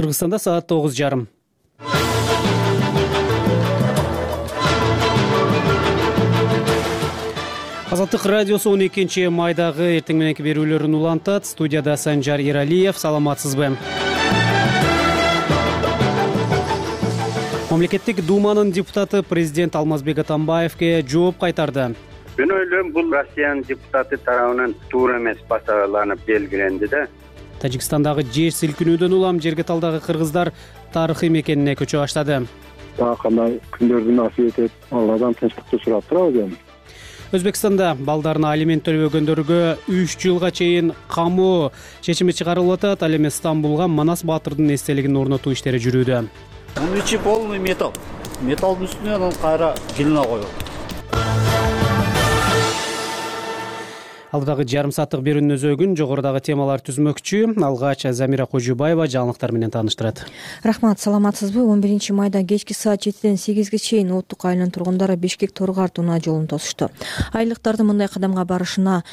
Кыргызстанда саат 9:30. Азаттык радиосу 12-майдагы эртең мененки берүүлөрүн улантат. Студияда Санжар Иралиев. Саламатсызбы? Мамлекеттик Думанын депутаты президент Алмазбек Атамбаевге жооп кайтарды. Мен ойлойм, бул Россиянын депутаты тарабынан туура эмес басаланып белгиленди да. Тажикстандагы жер силкинүүдөн улам жерге талдагы кыргыздар тарыхый мекенине көчө баштады. Кандай күндөрдү насип этип, Алладан тынчтыкты сурап турабыз. Өзбекстанда балдарына алимент төлөбөгөндөргө 3 жылга чейин камоо чечими чыгарылып атат. Ал эми Стамбулга Манас Баатырдын эстелигин орнотуу иштери жүрүүдө. Bunun içi полный металл. Металлдын үстүнө анан кайра глина коюп. Алдыдагы жарым сааттык берүүнүн өзөгүн жогорудагы темалар түзмөкчү. Алгач Замира Кожубаева жаңылыктар менен тааныштырат. Рахмат, саламатсызбы? 11-майда кечки саат 7ден 8ге чейин Улуттук айылынын тургундары Бишкек-Торгар унаа жолун тосушту. Айылдыктардын мындай кадамга барышына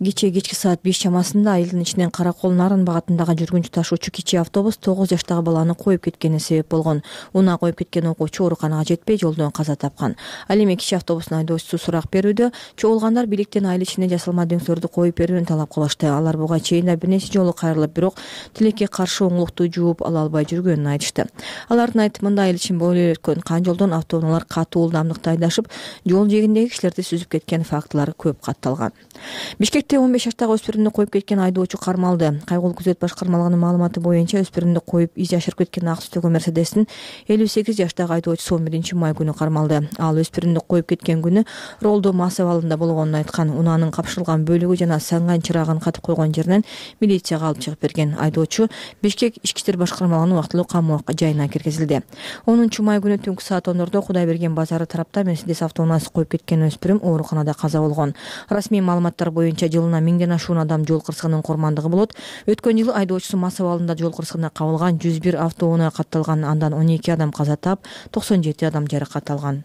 кечки саат 5 чамасында айылдын ичинен Каракол Нарын багытындагы жүргүнчү ташуучу кичи автобус 9 жаштагы баланы коюп кеткени себеп болгон. Унаа коюп кеткен окуучу ооруканага жетпей жолдон каза тапкан. Ал эми кичи автобустун айдоочусу сурак берүүдө. Чогулгандар бийликтен айыл ичине жасалма коюп берүүнү талап кылышты. Алар буга чейин да бир нече жолу кайрылып, бирок тилекке каршы оңлукту жууп ала албай жүргөнүн айтышты. Алардын айтымында айыл ичин бойлой өткөн кан жолдон автоунаалар катуу ылдамдыкта айдашып, жол жээгиндеги кишилерди сүзүп кеткен фактылар көп катталган. Бишкекте 15 жаштагы өспүрүмдү коюп кеткен айдоочу кармалды. Кайгылуу күзөт башкармалыгынын маалыматы боюнча өспүрүмдү коюп из жашырып кеткен ак түстөгү Мерседестин 58 жаштагы айдоочусу 11-май күнү кармалды. Ал өспүрүмдү коюп кеткен күнү Ролдо мас абалында болгонун айткан. Унаанын капшырылган бөлүгү жана санган чырагын катып койгон жеринен милицияга алып чыгып берген. Айдоочу Бишкек ички иштер башкармалыгынын убактылуу камоо жайына киргизилди. 10-май күнү түнкү саат 10:00 Кудайберген базары тарапта Мерседес автоунаасы коюп кеткен өспүрүм ооруканада каза болгон. Расмий маалыматтар боюнча жылына 1000ден ашуун адам жол кырсыгынын курмандыгы болот. Өткөн жылы айдоочусу мас абалында жол кырсыгына кабылган 101 автоунаа катталган. Андан 12 адам каза таап, 97 адам жаракат алган.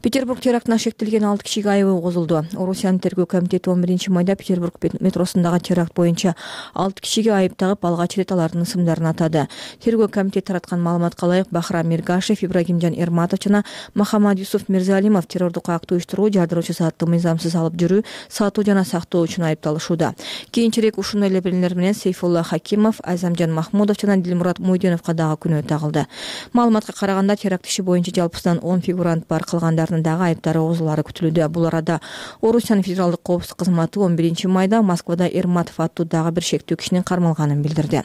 Петербург терактына шектелген 6 кишиге айыбы козулду. Орусиянын тергөө комитети 11-майда Петербург метросундагы теракт боюнча 6 кишиге айып тагып, алгач ирет алардын ысымдарын атады. Тергөө комитети тараткан маалыматка ылайык Бахрам Миргашев, Ибрагимжан Эрматов жана Махамад Юсуф Мирзалимов террордук актты уюштуруу, жардыруучу саатты мыйзамсыз алып жүрүү, сатуу жана сактоо үчүн айыпталышууда. Кийинчерээк ушул элебелер менен Сейфулла Хакимов, Азамжан Махмудов жана Дилмурат Муйденовго дагы күнөө тагылды. Маалыматка караганда теракт иши боюнча жалпысынан 10 фигурант бар, калгандардын дагы айыптары козулары күтүлүүдө. Бул арада Орусиянын федералдык коопсуздук кызматы 11-майда Москвада Эрматов аттуу дагы бир шектүү кишинин кармалганын билдирди.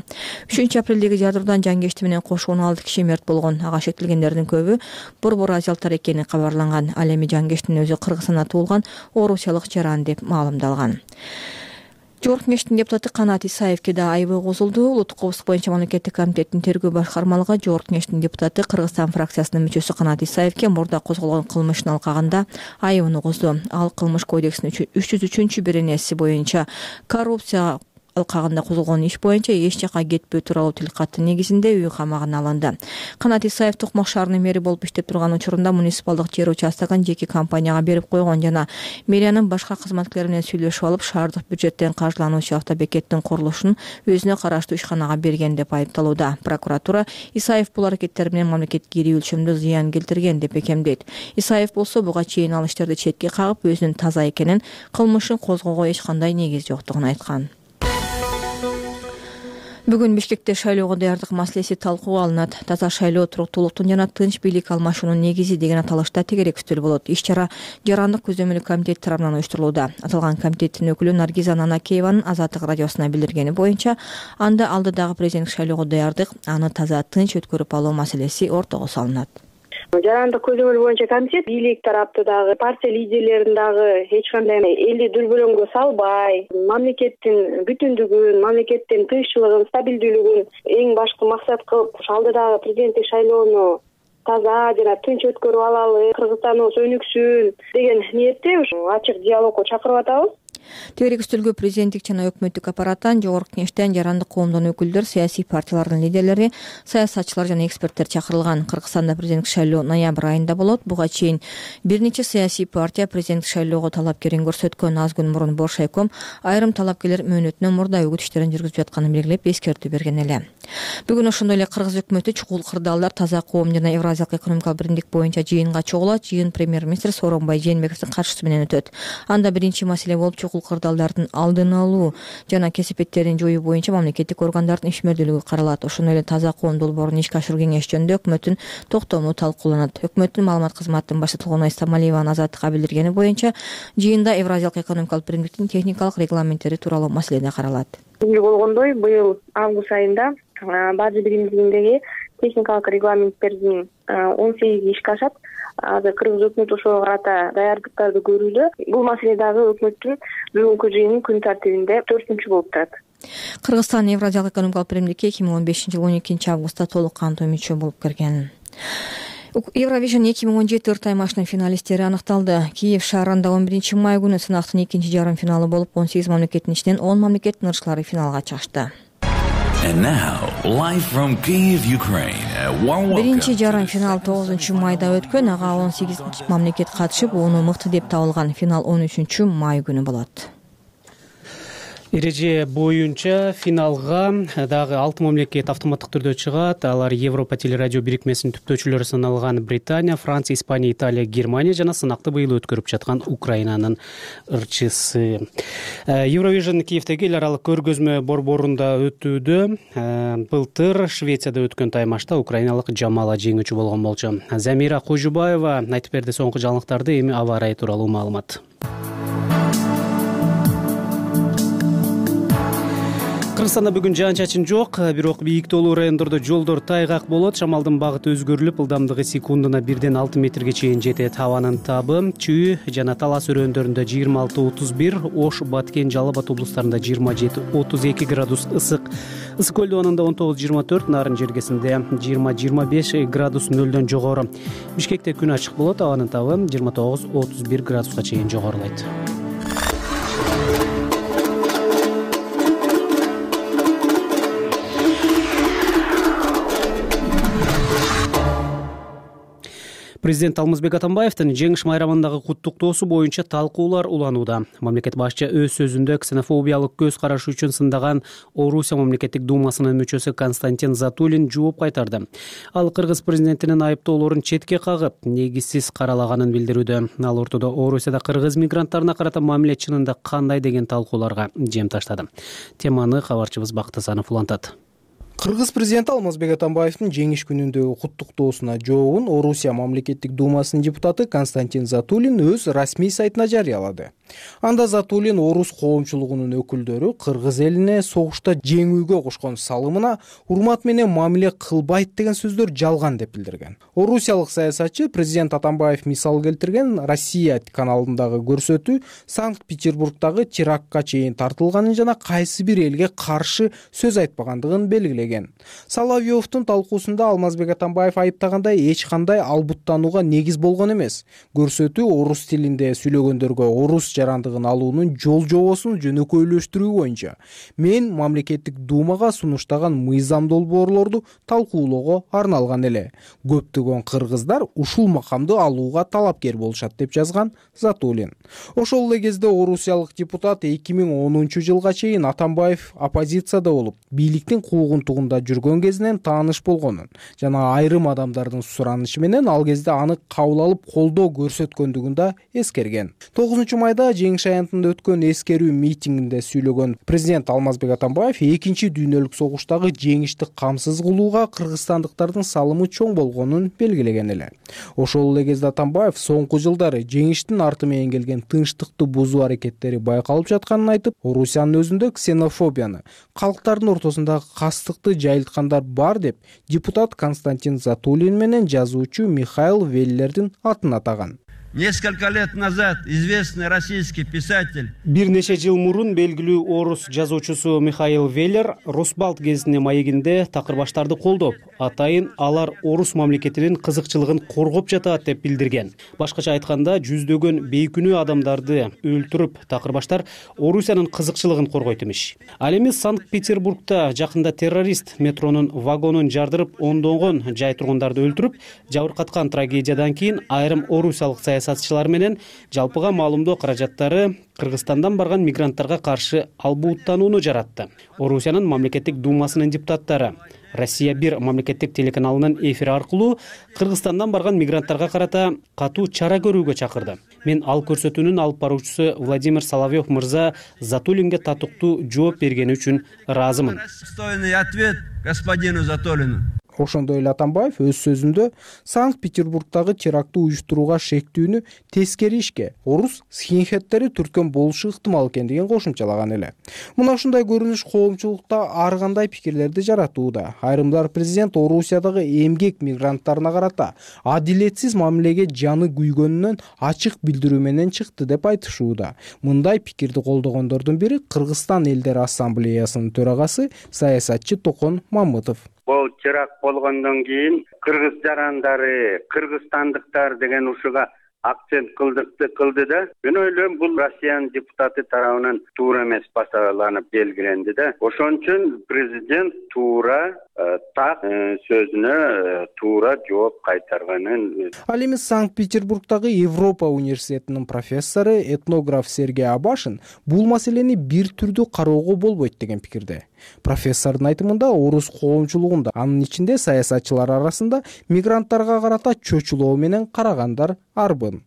3-апрелдеги жардыруудан жангешти менен кошо 16 киши мерт болгон. Ага шектелгендердин көбү борбор азиялыктар экени кабарланган. Ал эми жангештин өзү Кыргызстанда туулган орусиялык жаран деп маалымдалган. Жогорку кеңештин депутаты Канат Исаевке да айыбы козулду. Улуттук коопсуздук боюнча мамлекеттик комитеттин тергөө башкармалыгы Жогорку кеңештин депутаты Кыргызстан фракциясынын мүчөсү Канат Исаевке мурда козголгон кылмыштын алкагында айыбын козду. Ал кылмыш кодексинин 303-беренеси боюнча коррупция алкагында козголгон иш боюнча эч жака кетпөө тууралуу тилкаты негизинде үй камагына алынды. Канат Исаев Токмок шаарынын мэри болуп иштеп турган учурунда муниципалдык жер участогун жеке компанияга берип койгон жана мэриянын башка кызматкерлери менен сүйлөшүп алып, шаардык бюджеттен каржылануучу автобекеттин курулушун өзүнө караштуу ишканага берген деп айыпталууда. Прокуратура Исаев бул аракеттер менен мамлекетке ири өлчөмдө зыян келтирген деп бекемдейт. Исаев болсо буга чейин ал иштерди четке кагып, өзүнүн таза экенин, кылмышын козгоого эч кандай негиз жоктугун айткан. Бүгүн Бишкекте шайлоого даярдык маселеси талкууга алынат. Таза шайлоо туруктуулуктун жана тынч бийлик алмашуунун негизи деген аталышта тегерек үстөл болот. Иш-чара жарандык көзөмөлү комитет тарабынан уюштурулууда. Аталган комитеттин өкүлү Наргиза Нанакееванын Азаттык радиосуна билдиргени боюнча, анда алдыдагы президенттик шайлоого даярдык, аны таза тынч өткөрүп алуу маселеси ортого салынат. Жарандык көзөмөл боюнча комитет бийлик тарапты дагы, партия лидерлерин дагы эч кандай элди дүрбөлөңгө салбай, мамлекеттин бүтүндүгүн, мамлекеттин тынччылыгын, стабилдүүлүгүн эң башкы максат кылып, алдыдагы президенттик шайлоону таза жана тынч өткөрүп алалы, Кыргызстаныбыз өнүксүн деген ниетте ачык диалогко чакырып атабыз. Тегерек үстөлгө президенттик жана өкмөттүк аппараттан, жогорку кеңештен, жарандык коомдон өкүлдөр, саясий партиялардын лидерлери, саясатчылар жана эксперттер чакырылган. Кыргызстанда президенттик шайлоо ноябрь айында болот. Буга чейин бир нече саясий партия президенттик шайлоого талапкерин көрсөткөн. Аз күн мурун Боршайком айрым талапкерлер мөөнөтүнөн мурда үгүт иштерин жүргүзүп жатканын белгилеп, эскертүү берген эле. Бүгүн ошондой эле кыргыз өкмөтү чукул кырдаалдар, таза коом жана Евразиялык экономикалык биримдик боюнча жыйынга чогулат. Жыйын премьер-министр Сооронбай Жээнбековдун катышуусу менен өтөт. Анда биринчи маселе болуп чукул кырдаалдардын алдын алуу жана кесепеттерин жоюу боюнча мамлекеттик органдардын ишмердүүлүгү каралат. Ошондой эле таза коом долбоорун ишке ашыруу кеңеш жөнүндө өкмөттүн токтому талкууланат. Өкмөттүн маалымат кызматынын башчысы Толгонай Стамалиеванын азаттыкка билдиргени боюнча жыйында Евразиялык экономикалык биримдиктин техникалык регламенттери тууралуу маселе да каралат. Белгилүү болгондой, быйыл август айында бажы биримдигиндеги техникалык регламенттердин 18 ишке ашат. Азыр кыргыз өкмөтү ошого карата даярдыктарды көрүүдө. Бул маселе дагы өкмөттүн бүгүнкү жыйынын күн тартибинде 4-үнчү болуп турат. Кыргызстан Евразиялык экономикалык биримдикке 2015-жылы 12 августта толук кандуу мүчө болуп кирген. Eurovision 2017 ыртаймашынын финалисттери аныкталды. Киев шаарында 11 май күнү сынактын экинчи жарым финалы болуп, 18 мамлекеттин ичинен 10 мамлекеттин ырчылары финалга чыкты. Биринчи жарым финал 9 майда өткөн, ага 18 мамлекет катышып, ону мыкты деп табылган. Финал 13 май күнү болот. Эреже боюнча финалга дагы 6 мамлекет автоматтык түрдө чыгат. Алар Европа телерадио бирикмесинин түптөөчүлөрү саналган Британия, Франция, Испания, Италия, Германия жана сынакты быйыл өткөрүп жаткан Украинанын ырчысы. Eurovision Киевдеги эл аралык көргөзмө борборунда өтүүдө. Былтыр Швецияда өткөн таймашта украиналык Жамала жеңүүчү болгон болчу. Замира Кожубаева айтып берди соңку жаңылыктарды, эми аба ырайы тууралуу маалымат. Кыргызстанда бүгүн жаан-чачын жок, бирок бийиктүүлүү райондордо жолдор тайгак болот. Шамалдын багыты өзгөрүлүп, ылдамдыгы секундуна 1-6 метрге чейин жетет. Абанын табы Чүй жана Талас өрөөндөрүндө 26-31, Ош, Баткен, Жалал Абад облустарында 27-32 градус ысык. Ысык көл абанында 19-24, Нарын жергесинде 20-25 градус нөлдөн жогору. Бишкекте күн ачык болот, абанын табы 29-31 градуска чейин жогорулайт. Президент Алмазбек Атамбаевдин жеңиш майрамындагы куттуктоосу боюнча талкуулар уланууда. Мамлекет башчы өз сөзүндө ксенофобиялык көз карашы үчүн сындаган Орусия мамлекеттик думасынын мүчөсү Константин Затулин жооп кайтарды. Ал кыргыз президентинин айыптоолорун четке кагып, негизсиз каралаганын билдирүүдө. Ал ортодо Орусияда кыргыз мигранттарына карата мамиле чынында кандай деген талкууларга жем таштады. Теманы кабарчыбыз Бактасанов улантат. Кыргыз президенти Алмазбек Атамбаевдин жеңиш күнүндөгү куттуктоосуна жообун Орусия мамлекеттик думасынын депутаты Константин Затулин өз расмий сайтына жарыялады. Анда Затулин орус коомчулугунун өкүлдөрү кыргыз элине согушта жеңүүгө кошкон салымына урмат менен мамиле кылбайт деген сөздөр жалган деп билдирген. Орусиялык саясатчы президент Атамбаев мисал келтирген Россия каналындагы көрсөтүү Санкт-Петербургдагы терактка чейин тартылганын жана кайсы бир элге каршы сөз айтпагандыгын белгилеген. Соловьевдун талкуусунда Алмазбек Атамбаев айыптагандай эч кандай албуттанууга негиз болгон эмес. Көрсөтүү орус тилинде сүйлөгөндөргө орус жарандыгын алуунун жол-жобосун жөнөкөйлөштүрүү боюнча мен мамлекеттик думага сунуштаган мыйзам долбоорлорду талкуулоого арналган эле. Көптөгөн кыргыздар ушул макамды алууга талапкер болушат деп жазган Затулин. Ошол эле кезде орусиялык депутат 2010-жылга чейин Атамбаев оппозицияда болуп, бийликтин куугунтугунда жүргөн кезинен тааныш болгонун жана айрым адамдардын суранышы менен ал кезде аны кабыл алып колдоо көрсөткөндүгүн да эскерген. 9 майда жеңиш аянтында өткөн эскерүү митингинде сүйлөгөн президент Алмазбек Атамбаев экинчи дүйнөлүк согуштагы жеңишти камсыз кылууга кыргызстандыктардын салымы чоң болгонун белгилеген эле. Ошол эле кезде Атамбаев соңку жылдары жеңиштин арты менен келген тынчтыкты бузуу аракеттери байкалып жатканын айтып, Орусиянын өзүндө ксенофобияны, калктардын ортосундагы кастыкты жайылткандар бар деп депутат Константин Затулин менен жазуучу Михаил Веллердин атын атаган. Несколько лет назад известный российский писатель. Бир нече жыл мурун белгилүү орус жазуучусу Михаил Веллер Росбалт гезитине маегинде такырбаштарды колдоп, атайын алар орус мамлекетинин кызыкчылыгын коргоп жатат деп билдирген. Башкача айтканда, жүздөгөн бейкүнөө адамдарды өлтүрүп, такырбаштар Орусиянын кызыкчылыгын коргойт имиш. Ал эми Санкт-Петербургда жакында террорист метронун вагонун жардырып, ондогон жай тургундарды өлтүрүп, жабыркаткан трагедиядан кийин айрым орусиялык саясатчылар менен жалпыга маалымдоо каражаттары Кыргызстандан барган мигранттарга каршы албууттанууну жаратты. Орусиянын мамлекеттик думасынын депутаттары Россия 1 мамлекеттик телеканалынын эфири аркылуу Кыргызстандан барган мигранттарга карата катуу чара көрүүгө чакырды. Мен ал көрсөтүүнүн алып баруучусу Владимир Соловьев мырза Затулинге татыктуу жооп бергени үчүн ыраазымын. Достойный ответ господину Затулину. Ошондой эле Атамбаев өз сөзүндө Санкт-Петербургдагы терактты уюштурууга шектүүнү тескери ишке орус скинхеддери түрткөн болушу ыктымал экендигин кошумчалаган эле. Мына ушундай көрүнүш коомчулукта ар кандай пикирлерди жаратууда. Айрымдар президент Орусиядагы эмгек мигранттарына карата адилетсиз мамилеге жаны күйгөнүнөн ачык билдирүү менен чыкты деп айтышууда. Мындай пикирди колдогондордун бири Кыргызстан элдер ассамблеясынын төрагасы саясатчы Токон Мамытов. Бул теракт болгондон кийин кыргыз жарандары, кыргызстандыктар деген ушуга акцент кылды да. Мен ойлойм, бул Россиянын депутаты тарабынан туура эмес басаланып белгиленди да. Ошон үчүн президент туура так сөзүнө туура жооп кайтарганын. Ал эми Санкт-Петербургдагы Европа университетинин профессору, этнограф Сергей Абашин бул маселени бир түрдүү кароого болбойт деген пикирде. Профессордун айтымында орус коомчулугунда, анын ичинде саясатчылар арасында мигранттарга карата чочулоо менен карагандар арбын.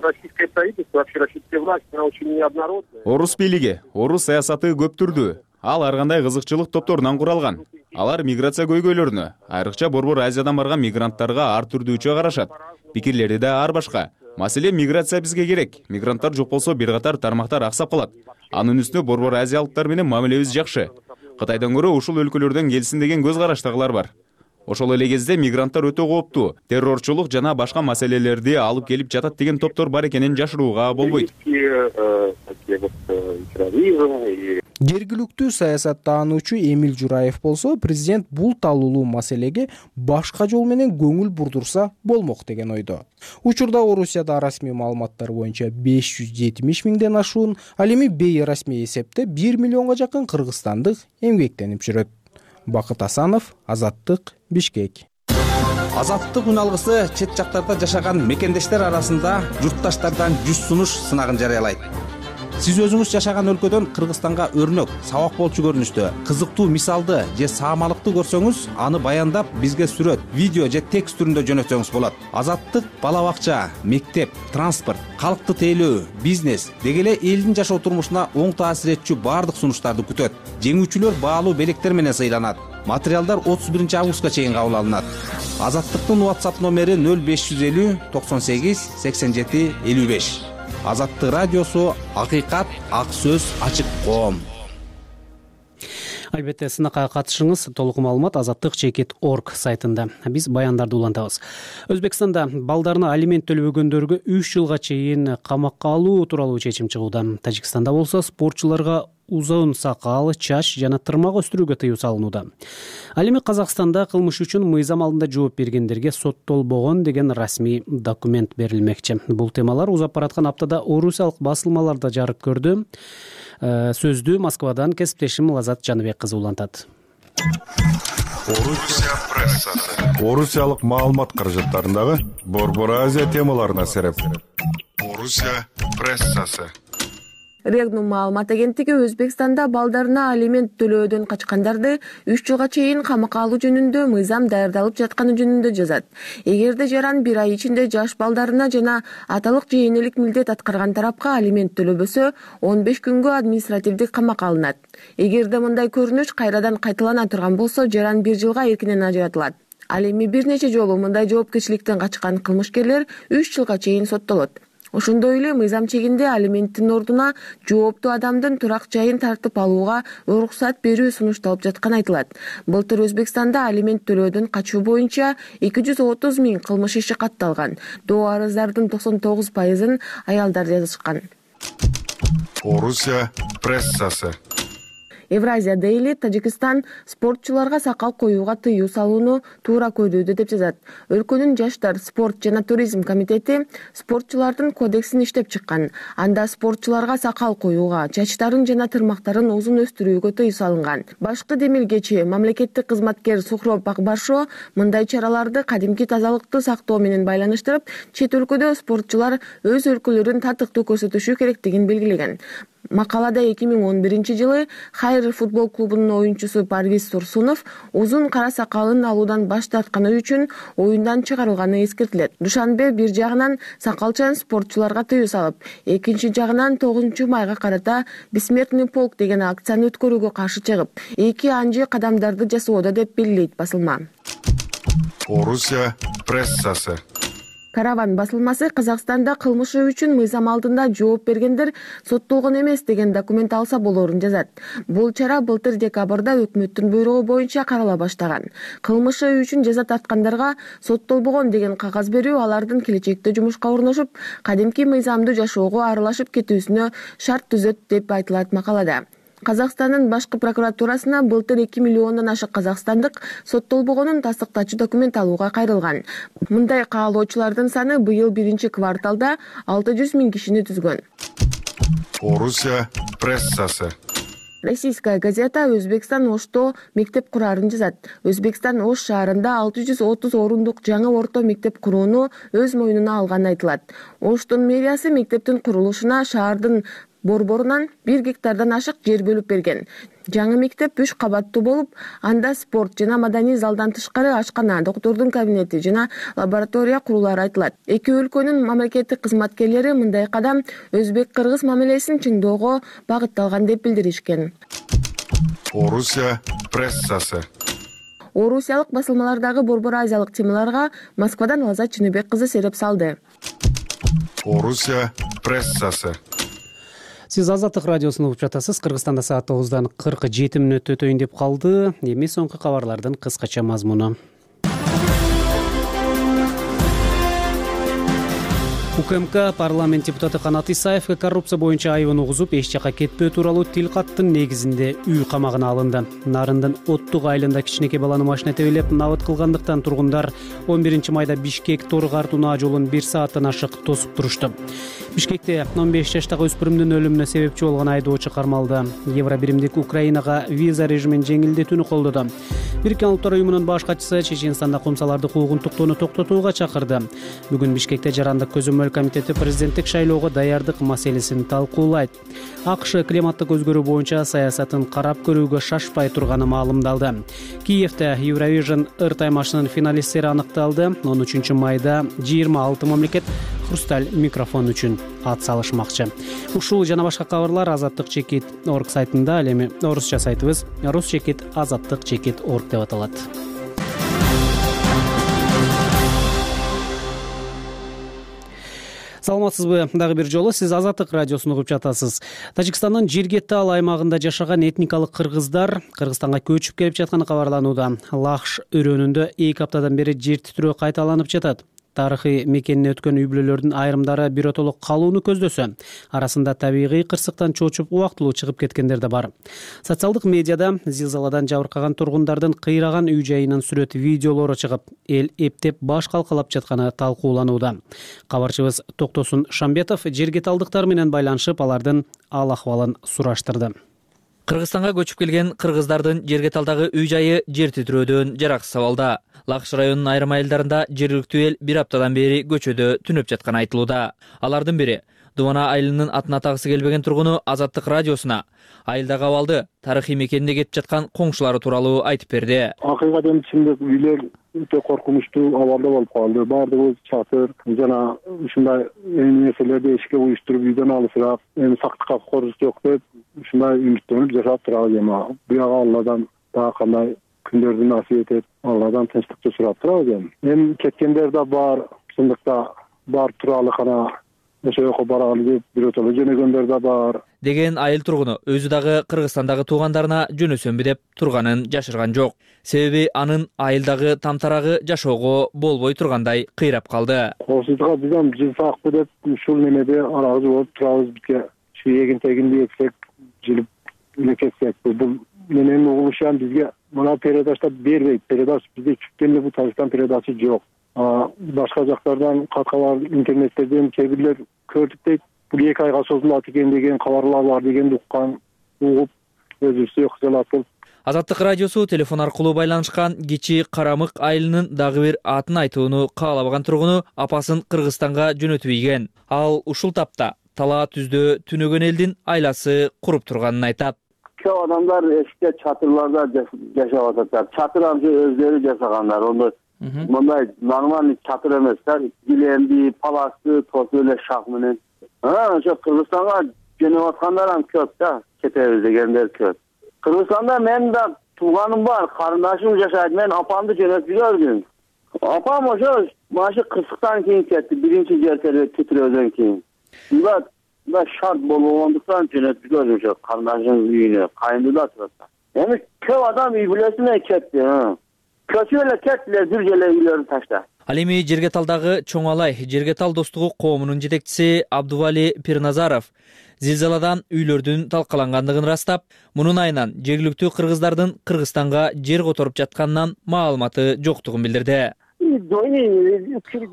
Российское правительство, вообще российская власть, она очень неоднородная. Орус бийлиги, орус саясаты көп түрдүү. Ал ар кандай кызыкчылык топторунан куралган. Алар миграция көйгөйлөрүнө, айрыкча Борбор Азиядан барган мигранттарга ар түрдүүчө карашат. Пикирлери да ар башка. Маселе миграция бизге керек. Мигранттар жок болсо бир катар тармактар аксап калат. Анын үстүнө Борбор Азиялыктар менен мамилебиз жакшы. Кытайдан көрө ушул өлкөлөрдөн келсин деген көз караштагылар бар. Ошол эле кезде мигранттар өтө кооптуу, террорчулук жана башка маселелерди алып келип жатат деген топтор бар экенин жашырууга болбойт. Жергиликтүү саясаттаануучу Эмил Жураев болсо, президент бул талуулуу маселеге башка жол менен көңүл бурдурса болмок деген ойдо. Учурда Орусияда расмий маалыматтар боюнча 570 миңден ашуун, ал эми бейрасмий эсепте 1 миллионго жакын кыргызстандык эмгектенип жүрөт. Бакыт Асанов, Азаттык, Бишкек. Азаттык үналгысы чет жактарда жашаган мекендештер арасында журтташтардан 100 сунуш сынагын жарыялайт. Сиз өзүңүз жашаган өлкөдөн Кыргызстанга өрнөк, сабак болчу көрүнүштө, кызыктуу мисалды же саамалыкты көрсөңүз, аны баяндап бизге сүрөт, видео же текст түрүндө жөнөтсөңүз болот. Азаттык бала бакча, мектеп, транспорт, калкты тейлөө, бизнес деги эле элдин жашоо турмушуна оң таасир этчү баардык сунуштарды күтөт. Жеңүүчүлөр баалуу белектер менен сыйланат. Материалдар 31 августка чейин кабыл алынат. Азаттыктын WhatsApp номери 0550 98 87 55. Азаттык радиосу, акыйкат, ак сөз, ачык коом. Албетте, сынакка катышыңыз. Толук маалымат azattik.org сайтында. Биз баяндарды улантабыз. Өзбекстанда балдарына алимент төлөбөгөндөргө 3 жылга чейин камакка алуу тууралуу чечим чыгууда. Тажикстанда болсо спортчуларга узун сакал, чач жана тырмак өстүрүүгө тыюу салынууда. Ал эми Казакстанда кылмыш үчүн мыйзам алдында жооп бергендерге соттолбогон деген расмий документ берилмекчи. Бул темалар узап бараткан аптада орусиялык басылмаларда жарык көрдү. Сөздү Москвадан кесиптешим Лазат Жаныбек кызы улантат. Орусия прессасы. Орусиялык маалымат каражаттарындагы Борбор Азия темаларына сереп. Орусия прессасы. Регнум маалымат агенттиги Өзбекстанда балдарына алимент төлөөдөн качкандарды 3 жылга чейин камакка алуу жөнүндө мыйзам даярдалып жатканы жөнүндө жазат. Эгерде жаран 1 ай ичинде жаш балдарына жана аталык же энелик милдет аткарган тарапка алимент төлөбөсө, 15 күнгө административдик камакка алынат. Эгерде мындай көрүнүш кайрадан кайталана турган болсо, жаран 1 жылга эркинен ажыратылат. Ал эми бир нече жолу мындай жоопкерчиликтен качкан кылмышкерлер 3 жылга чейин соттолот. Ошондой эле мыйзам чегинде алименттин ордуна жооптуу адамдын турак жайын тартып алууга уруксат берүү сунушталып жатканы айтылат. Былтыр Өзбекстанда алимент төлөөдөн качуу боюнча 230 000 кылмыш иши катталган. Доо арыздардын 99%-ын аялдар жазышкан. Орусия прессасы. Евразия Дейли Тажикстан спортчуларга сакал коюуга тыюу салууну туура көрүүдө деп жазат. Өлкөнүн жаштар, спорт жана туризм комитети спортчулардын кодексин иштеп чыккан. Анда спортчуларга сакал коюуга, чачтарын жана тырмактарын узун өстүрүүгө тыюу салынган. Башкы демилгечи мамлекеттик кызматкер Сухроб Акбаршо мындай чараларды кадимки тазалыкты сактоо менен байланыштырып, чет өлкөдө спортчулар өз өлкөлөрүн татыктуу көрсөтүшү керектигин белгилеген. Макалада 2011-жылы Хайр футбол клубунун оюнчусу Парвиз Турсунов узун кара сакалын алуудан баш тартканы үчүн оюндан чыгарылганы эскертилет. Душанбе бир жагынан сакалчан спортчуларга тыюу салып, экинчи жагынан 9-майга карата Бессмертный полк деген акцияны өткөрүүгө каршы чыгып, эки анжы кадамдарды жасоодо деп белгилейт басылма. Орусия прессасы. Караван басылмасы Казакстанда кылмышы үчүн мыйзам алдында жооп бергендер соттолгон эмес деген документ алса болорун жазат. Бул чара былтыр декабрда өкмөттүн буйругу боюнча карала баштаган. Кылмышы үчүн жаза тарткандарга соттолбогон деген кагаз берүү алардын келечекте жумушка орношуп, кадимки мыйзамды жашоого аралашып кетүүсүнө шарт түзөт деп айтылат макалада. Казакстандын башкы прокуратурасына былтыр 2 миллиондон ашык казакстандык соттолбогонун тастыктачу документ алууга кайрылган. Мындай каалоочулардын саны быйыл биринчи кварталда 600 000 кишини түзгөн. Орусия прессасы. Российская газета Өзбекстан Ошто мектеп курарын жазат. Өзбекстан Ош шаарында 630 орундук жаңы орто мектеп курууну өз мойнуна алганы айтылат. Оштун мэриясы мектептин курулушуна шаардын борборунан 1 гектардан ашык жер бөлүп берген. Жаңы мектеп 3 кабаттуу болуп, анда спорт жана маданий залдан тышкары ашкана, доктордун кабинети жана лаборатория курулары айтылат. Эки өлкөнүн мамлекеттик кызматкерлери мындай кадам өзбек-кыргыз мамилесин чыңдоого багытталган деп билдиришкен. Орусия прессасы. Орусиялык басылмалардагы борбор азиялык темаларга Москвадан Лазат Чыныбек кызы сереп салды. Орусия прессасы. Сиз Азаттык радиосун угуп жатасыз. Кыргызстанда саат 9:47 өтөйүн деп калды. Эми соңку кабарлардын кыскача мазмуну. УКМК парламент депутаты Канат Исаевге коррупция боюнча айыбын угузуп, эч жака кетпөө тууралуу тил каттын негизинде үй камагына алынды. Нарындын Оттук айылында кичинекей баланы машина тебелеп набыт кылгандыктан тургундар 11-майда Бишкек-Тор Картунаа жолун 1 сааттан ашык тосуп турушту. Бишкекте 15 жаштагы өспүрүмдүн өлүмүнө себепчи болгон айдоочу кармалды. Евро биримдик Украинага виза режимин жеңилдетүүнү колдоду. Бириккен Улуттар уюмунун баш катчысы Чеченстанда кумсаларды куугунтуктоону токтотууга чакырды. Бүгүн Бишкекте жарандык көзөмөл комитети президенттик шайлоого даярдык маселесин талкуулайт. АКШ климаттык өзгөрүү боюнча саясатын карап көрүүгө шашпай турганы маалымдалды. Киевде Eurovision ыр таймашынын финалисттери аныкталды. 13-майда 26 мамлекет хрусталь микрофон үчүн ат салышмакчы. Ушул жана башка кабарлар azattik.org сайтында, ал эми орусча сайтыбыз rus.azattik.org деп аталат. Саламатсызбы? Дагы бир жолу сиз Азаттык радиосун угуп жатасыз. Тажикстандын Жиргетал аймагында жашаган этникалык кыргыздар Кыргызстанга көчүп келип жатканы кабарланууда. Лахш өрөөнүндө 2 аптадан бери жер титирөө кайталанып жатат. Тарыхый мекенине өткөн үй бүлөлөрдүн айрымдары биротоло калууну көздөсө, арасында табигый кырсыктан чоочуп убактылуу чыгып кеткендер да бар. Социалдык медиада зилзаладан жабыркаган тургундардын кыйраган үй жайынын сүрөт видеолору чыгып, эл эптеп баш калкалап жатканы талкууланууда. Кабарчыбыз Токтосун Шамбетов жергеталдыктар менен байланышып, алардын ал акыбалын сураштырды. Кыргызстанга көчүп келген кыргыздардын Жергеталдагы үй жайы жер титирөөдөн жараксыз абалда. Лахш районунун айрым айылдарында жергиликтүү эл 1 аптадан бери көчөдө түнөп жатканы айтылууда. Алардын бири Дубана айылынын атын атагысы келбеген тургуну Азаттык радиосуна айылдагы абалды, тарыхый мекенине кетип жаткан коңшулары тууралуу айтып берди. Акыйкатен чындык үйлөр өтө коркунучтуу абалда болуп калды. Баардыгы чатыр жана ушундай нерселерди эшикке уюштуруп үйдөн алысыраак, эми сактыкка корус жок деп ушундай үмүттөнүп жашап турабыз. Эми бияга Алладан дагы кандай күндөрдү насип этет, Алладан тынчтыкты сурап турабыз. Эми кеткендер да бар, чындыкта бар тууралуу гана ошол жака баралы деп биротоло жөнөгөндөр да бар деген айыл тургуну өзү дагы Кыргызстандагы туугандарына жөнөсөмбү деп турганын жашырган жок. Себеби анын айылдагы тамтарагы жашоого болбой тургандай кыйрап калды. Коопсуздукка биз ham жылсакпы деп ушул немеде арагы болуп турабыз. Бизге ушу эгин тегинди эксек жылып эле кетсек, бул менен угулушам бизге мына передача бербейт. Передача бизде чүктөн эле бул Татарстан передача жок. Башка жактардан каткалар интернеттерден кээ бирлер көрдүк дейт. Бул 2 айга созулат экен деген кабарлар бар дегенди уккан, угуп өзүбүздү кыжалатып. Азаттык радиосу телефон аркылуу байланышкан Кичи Карамык айылынын дагы бир атын айтууну каалабаган тургуну апасын Кыргызстанга жөнөтүп ийген. Ал ушул тапта Тала түздө түнөгөн элдин айласы куруп турганын айтат. Көп адамдар эшикте чатырларда жашап атат. Чатыр анча өздөрү жасагандар. Ону мындай нормальный чатыр эмес да. Гиленди, паласты, тосу эле шак менен. Ошо Кыргызстанга жөнөп аткандар ham көп да. Кетебиз дегендер көп. Кыргызстанда мен да тууганым бар, карындашым жашайт. Мен апамды жөнөтүп жибердим. Апам ошо машы кырсыктан кийин кетти, биринчи жер титирөөдөн кийин. Да шарт болгондуктан жөнөтүп жибердим ошо карындашымдын үйүнө. Кайындыда турат. Эми көп адам үй бүлөсүнө кетти. Көчүп эле кеттилер, бир желе үйлөрүн таштап. Ал эми Жергеталдагы Чоңалай Жергетал достугу коомунун жетекчиси Абдували Пирназаров зилзаладан үйлөрдүн талкалангандыгын ырастап, мунун айынан жергиликтүү кыргыздардын Кыргызстанга жер которуп жатканынан маалыматы жоктугун билдирди.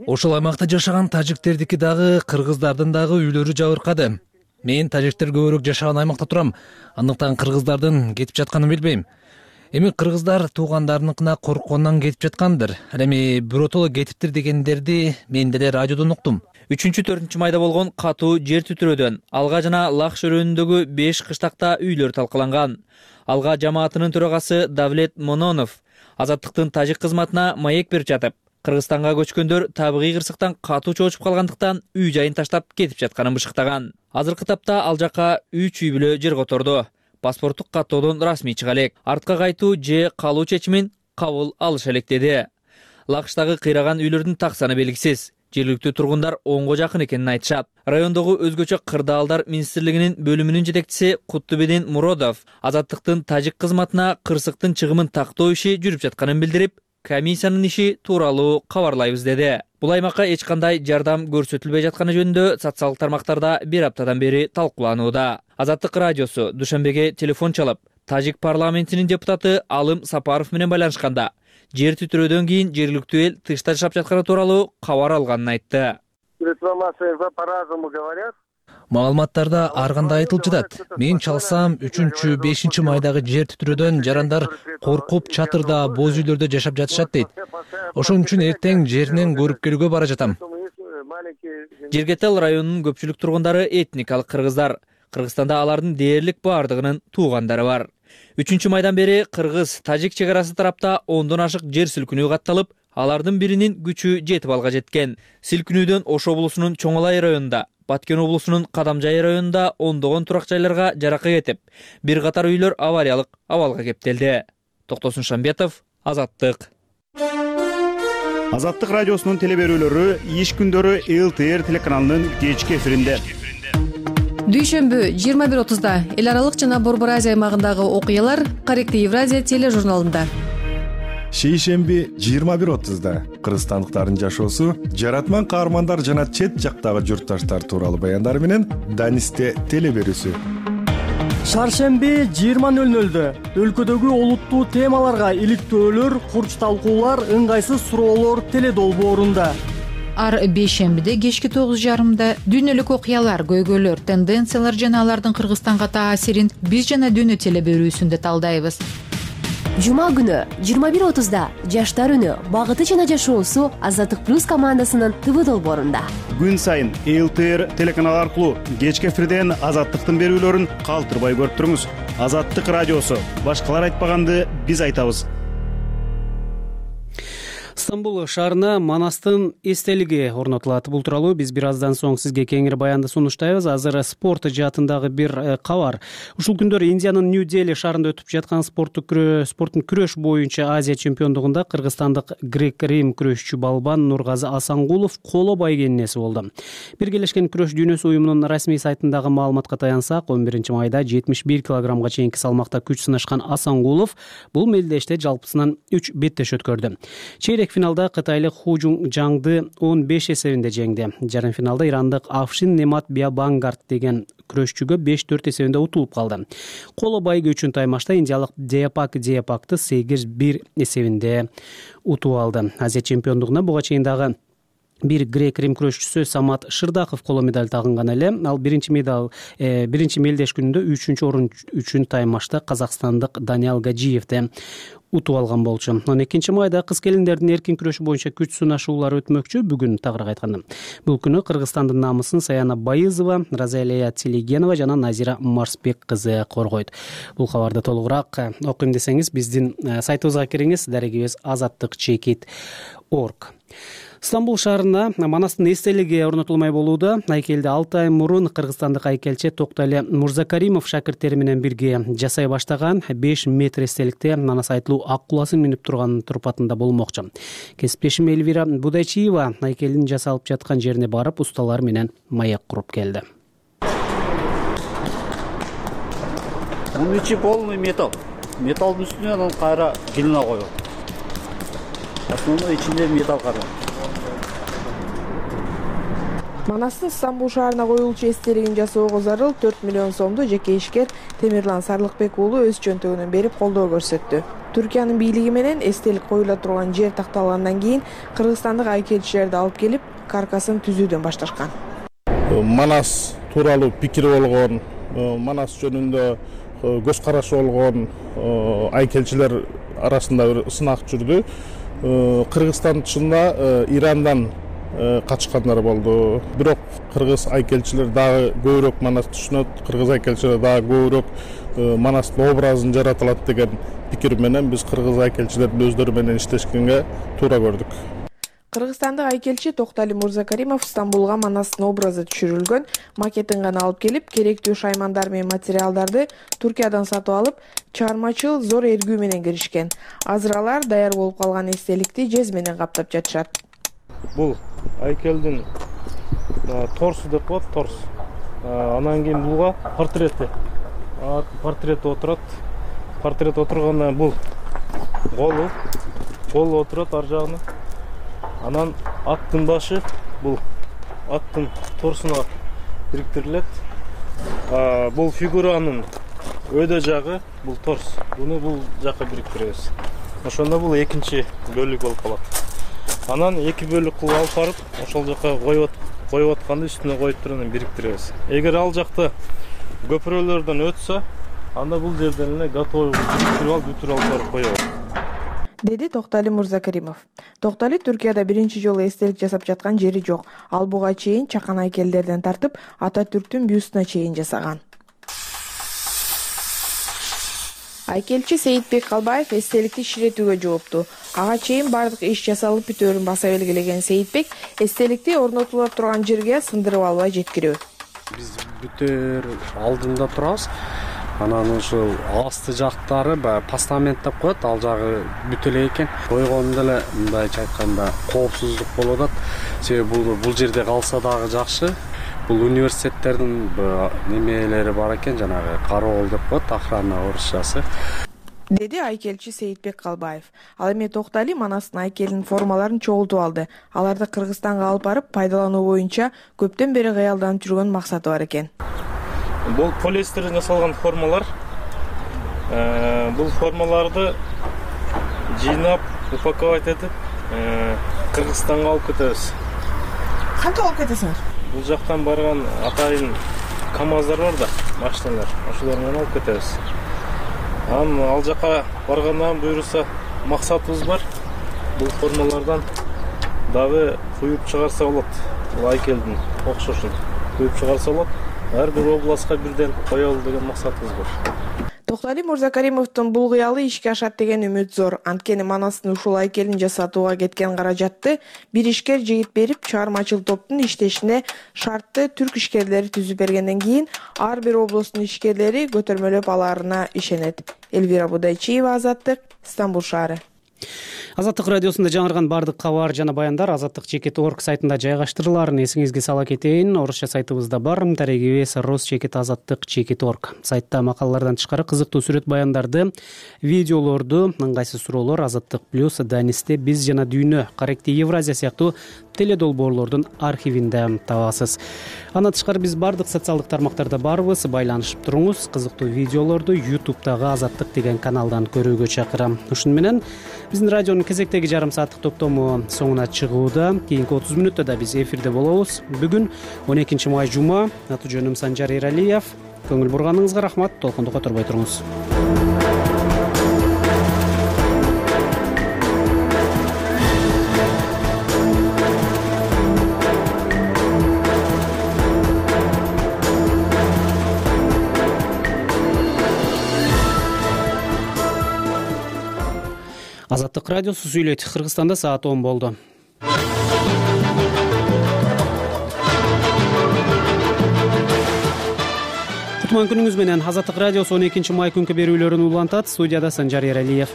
Ошол аймакта жашаган тажиктердики дагы кыргыздардын дагы үйлөрү жабыркады. Мен тажиктер көбүрөөк жашаган аймакта турам, андыктан кыргыздардын кетип жатканын билбейм. Эми кыргыздар туугандарыныкына корккондон кетип жаткандыр. Ал эми биротоло кетиптир дегендерди мен деле радиодон уктум. 3-4 майда болгон катуу жер титирөөдөн Алга жана Лакш өрөөнүндөгү 5 кыштакта үйлөр талкаланган. Алга жамаатынын төрагасы Давлет Мононов Азаттыктын тажик кызматына маек берип жатып, Кыргызстанга көчкөндөр табигый кырсыктан катуу чоочуп калгандыктан үй жайын таштап кетип жатканын бышыктаган. Азыркы тапта ал жака 3 үй бүлө жер которду. Паспорттук каттоодон расмий чыга элек. Артка кайтуу же калуу чечимин кабыл алыша элек деди. Лакштагы кыйраган үйлөрдүн так саны белгисиз. Жергиликтүү тургундар 10го жакын экенин айтышат. Райондогу өзгөчө кырдаалдар министрлигинин бөлүмүнүн жетекчиси Куттубедин Муродов Азаттыктын тажик кызматына кырсыктын чыгымын тактоо иши жүрүп жатканын билдирип, комиссиянын иши тууралуу кабарлайбыз деди. Бул аймакка эч кандай жардам көрсөтүлбөй жатканы жөнүндө социалдык тармактарда бир аптадан бери талкууланууда. Азаттык радиосу Душанбеге телефон чалып, тажик парламентинин депутаты Алым Сапаров менен байланышканда, жер титирөөдөн кийин жергиликтүү эл тышта жашап жатканы тууралуу кабар алганын айтты. По-разному говорят. Маалыматтарда ар кандай айтылып жатат. Мен чалсам 3-5 майдагы жер титирөөдөн жарандар коркуп чатырда, боз үйлөрдө жашап жатышат дейт. Ошон үчүн эртең жеринен көрүп келүүгө бара жатам. Жергетал районунун көпчүлүк тургундары этникалык кыргыздар. Кыргызстанда алардын дээрлик бардыгынын туугандары бар. 3 майдан бери кыргыз-тажик чек арасы тарапта 10дон ашык жер силкинүү катталып, алардын биринин күчү 7 балга жеткен. Силкинүүдөн Ош облусунун Чоңалай районунда, Баткен облусунун Кадамжай районунда ондогон турак жайларга жарака кетип, бир катар үйлөр авариялык абалга кептелди. Токтосун Шамбетов, Азаттык. Азаттык радиосунун телеберүүлөрү иш күндөрү ЛТР телеканалынын кечки эфиринде. Дүйшөмбү 21:30-да эл аралык жана Борбор Азия аймагындагы окуялар Корректив Евразия тележурналында. Шейшемби 21:30-да кыргызстандыктардын жашоосу, жаратман каармандар жана чет жактагы журтташтар тууралуу баяндар менен Данисте телеберүүсү. Шаршемби 20:00-дө өлкөдөгү олуттуу темаларга иликтөөлөр, курч талкуулар, ыңгайсыз суроолор теледолбоорунда. Ар бейшембиде кечки 9:30-да дүйнөлүк окуялар, көйгөйлөр, тенденциялар жана алардын Кыргызстанга таасирин биз жана дүйнө телеберүүсүндө талдайбыз. Жума күнү 21:30-да жаштар үнү, багыты жана жашоосу Азаттык плюс командасынын ТВ долбоорунда. Күн сайын ЛТР телеканалы аркылуу кечки эфирден Азаттыктын берүүлөрүн калтырбай көрүп туруңуз. Азаттык радиосу, башкалар айтпаганды биз айтабыз. Стамбул шаарына Манастын эстелиги орнотулат. Бул тууралуу биз бир аздан соң сизге кеңири баянды сунуштайбыз. Азыр спорт жаатындагы бир кабар. Ушул күндөрү Индиянын Нью-Дели шаарында өтүп жаткан спорттун күрөш боюнча Азия чемпиондугунда кыргызстандык грек-рим күрөшчү балбан Нургазы Асангулов коло байгенеси болду. Биргелешкен күрөш дүйнөсү уюмунун расмий сайтындагы маалыматка таянсак, 11 майда 71 килограммга чейинки салмакта күч сынашкан Асангулов бул мелдеште жалпысынан 3 беттеш өткөрдү. Чейрек финалда кытайлык Ху Жангды 15 эсебинде жеңди. Жарым финалда ирандык Афшин Немат Биабангард деген күрөшчүгө 5-4 эсебинде утулуп калды. Коло байгы үчүн таймашта индиялык Диапакты 8-1 эсебинде утуп алды. Азия чемпиондугуна буга чейин дагы бир грек-рим күрөшчүсү Самат Шырдаков коло медаль тагынган эле. Ал биринчи мелдеш күнүндө 3-чү орун үчүн таймашта казакстандык Даниал Гаджиевди утуп алган болчу. 12 майда кыз-келиндердин эркин күрөшү боюнча күч сынашуулары өтмөкчү. Бүгүн тагыраак айтканда бул күнү Кыргызстандын намысын Саяна Байызова, Разалия Телегенова жана Назира Марсбек кызы коргойт. Бул кабарды толугураак окуйм десеңиз биздин сайтыбызга кириңиз, дарегибиз azatdыкчекит.org. Стамбул шаарына Манастын эстелиги орнотулмай болууда. Айкелди 6 ай мурун кыргызстандык айкелчи Токтали Мурзакаримов шакирттери менен бирге жасай баштаган 5 метр эстеликте Манас айтлуу ак куласын минип турган турпатында болмокчу. Кесиптешим Эльвира Будайчиева айкелдин жасалып жаткан жерине барып, усталар менен маяк куруп келди. Мунун ичи полный металл. Металлдын үстүнө анан кайра глина коюп. Основной ичинде металл калган. Манастын Стамбул шаарына коюлчу эстелигин жасоого зарыл 4 миллион сомду жеке ишкер Темирлан Сарлыкбек уулу өз чөнтөгүнөн берип колдоо көрсөттү. Түркиянын бийлиги менен эстелик коюла турган жер такталгандан кийин кыргызстандык айкелчилерди алып келип, каркасын түзүүдөн башташкан. Манас тууралуу пикири болгон, Манас жөнүндө көз карашы болгон айкелчилер арасында бир сынак жүрдү. Кыргызстан чынында Ирандан качкандар болду. Бирок кыргыз айкелчилер дагы көбүрөөк Манас түшүнөт, кыргыз айкелчилер дагы көбүрөөк Манастын образын жаратылат деген пикир менен биз кыргыз айкелчилердин өздөрү менен иштешкенге туура көрдүк. Кыргызстандык айкелчи Токтали Мурзакаримов Стамбулга Манастын образы түшүрүлгөн макетин гана алып келип, керектүү шаймандар менен материалдарды Туркиядан сатып алып, чыгармачыл зор эргүү менен киришкен. Азыр алар даяр болуп калган эстеликти жез менен каптап жатышат. Бул айкелдин торсу деп коет, торс. Анан кийин булга портрет отурат. Портрет отургандан бул колу отурат ар жагына. Анан аттын башы бул аттын торсуна бириктирилет. Бул фигуранын өйдө жагы бул торс. Буну бул жакка бириктиребиз. Ошондо бул экинчи бөлүк болуп калат. Анан 2 бөлүк кылып алып барып, ошол жака коюп атканды үстүнө коюп туруп анан бириктиребиз. Эгер ал жакта көпүрөлөрдөн өтсө, анда бул жерден эле готовый бүтүрүп алып коебуз. Деди Токтали Мурзакаримов. Токтали Түркияда биринчи жолу эстелик жасап жаткан жери жок. Ал буга чейин чакан айкелдерден тартып, Ататүрктүн бюстуна чейин жасаган. Айкелчи Сейитбек Калбаев эстеликти ширетүүгө жоопту. Ага чейин бардык иш жасалып бүтөөрүн баса белгилеген Сейитбек эстеликти орнотула турган жерге сындырып албай жеткирүү. Биз бүтөөр алдында турабыз. Анан ушул асты жактары постамент деп коет, ал жагы бүтө эле экен. Койгондо эле мындайча айтканда коопсуздук болуп атат. Себеби бул жерде калса дагы жакшы. Бул университеттердин немелери бар экен, жанагы кароол деп коет, охрана орусчасы. Деди айкелчи Сейитбек Калбаев. Ал эми Токтали Манастын айкелинин формаларын чогултуп алды. Аларды Кыргызстанга алып барып пайдалануу боюнча көптөн бери кыялданып жүргөн максаты бар экен. Бул полиэстерден жасалган формалар. Бул формаларды жыйнап, упаковать этип, Кыргызстанга алып кетебиз. Кантип алып кетесиңер? Бул жактан барган атайын КАМАЗдар бар да, машиналар. Ошолор менен алып кетебиз. Ал жака баргандан буйруса максатыбыз бар. Бул формалардан дагы куюп чыгарса болот. Бул айкелдин окшошун куюп чыгарса болот. Ар бир областка бирден коелу деген максатыбыз бар. Токтоали Мырзакаримовдун бул кыялы ишке ашат деген үмүт зор. Анткени Манастын ушул айкелин жасатууга кеткен каражатты бир ишкер жигит берип, чыгармачыл топтун иштешине шартты түрк ишкерлери түзүп бергенден кийин ар бир облустун ишкерлери көтөрмөлөп алаарына ишенет. Элвира Будайчиева, Азаттык, Стамбул шаары. Азаттык радиосунда жаңырган бардык кабар жана баяндар azattik.org сайтында жайгаштырыларын эсиңизге сала кетейин. Орусча сайтыбызда бар. Тарегибиз rus.azattik.org. Сайтта макалалардан тышкары кызыктуу сүрөт баяндарды, видеолорду, ыңгайсыз суроолор, Азаттык плюс, Данисте биз жана дүйнө, Корректи Евразия сыяктуу теледолбоорлордун архивинде табасыз. Андан тышкары биз бардык социалдык тармактарда барбыз. Байланышып туруңуз. Кызыктуу видеолорду YouTube'дагы Азаттык деген каналдан көрүүгө чакырам. Ушуну менен биздин радионун кезектеги жарым сааттык топтому соңуна чыгууда. Кийинки 30 мүнөттө да биз эфирде болобуз. Бүгүн 12 май жума. Аты жөнүм Санжар Эралиев. Көңүл бурганыңызга рахмат. Толкунду которбой туруңуз. Азаттык радиосу сүйлөйт. Кыргызстанда саат 10 болду. Кутман күнүңүз менен. Азаттык радиосу 12 май күнкү берүүлөрүн улантат. Студияда Санжар Эралиев.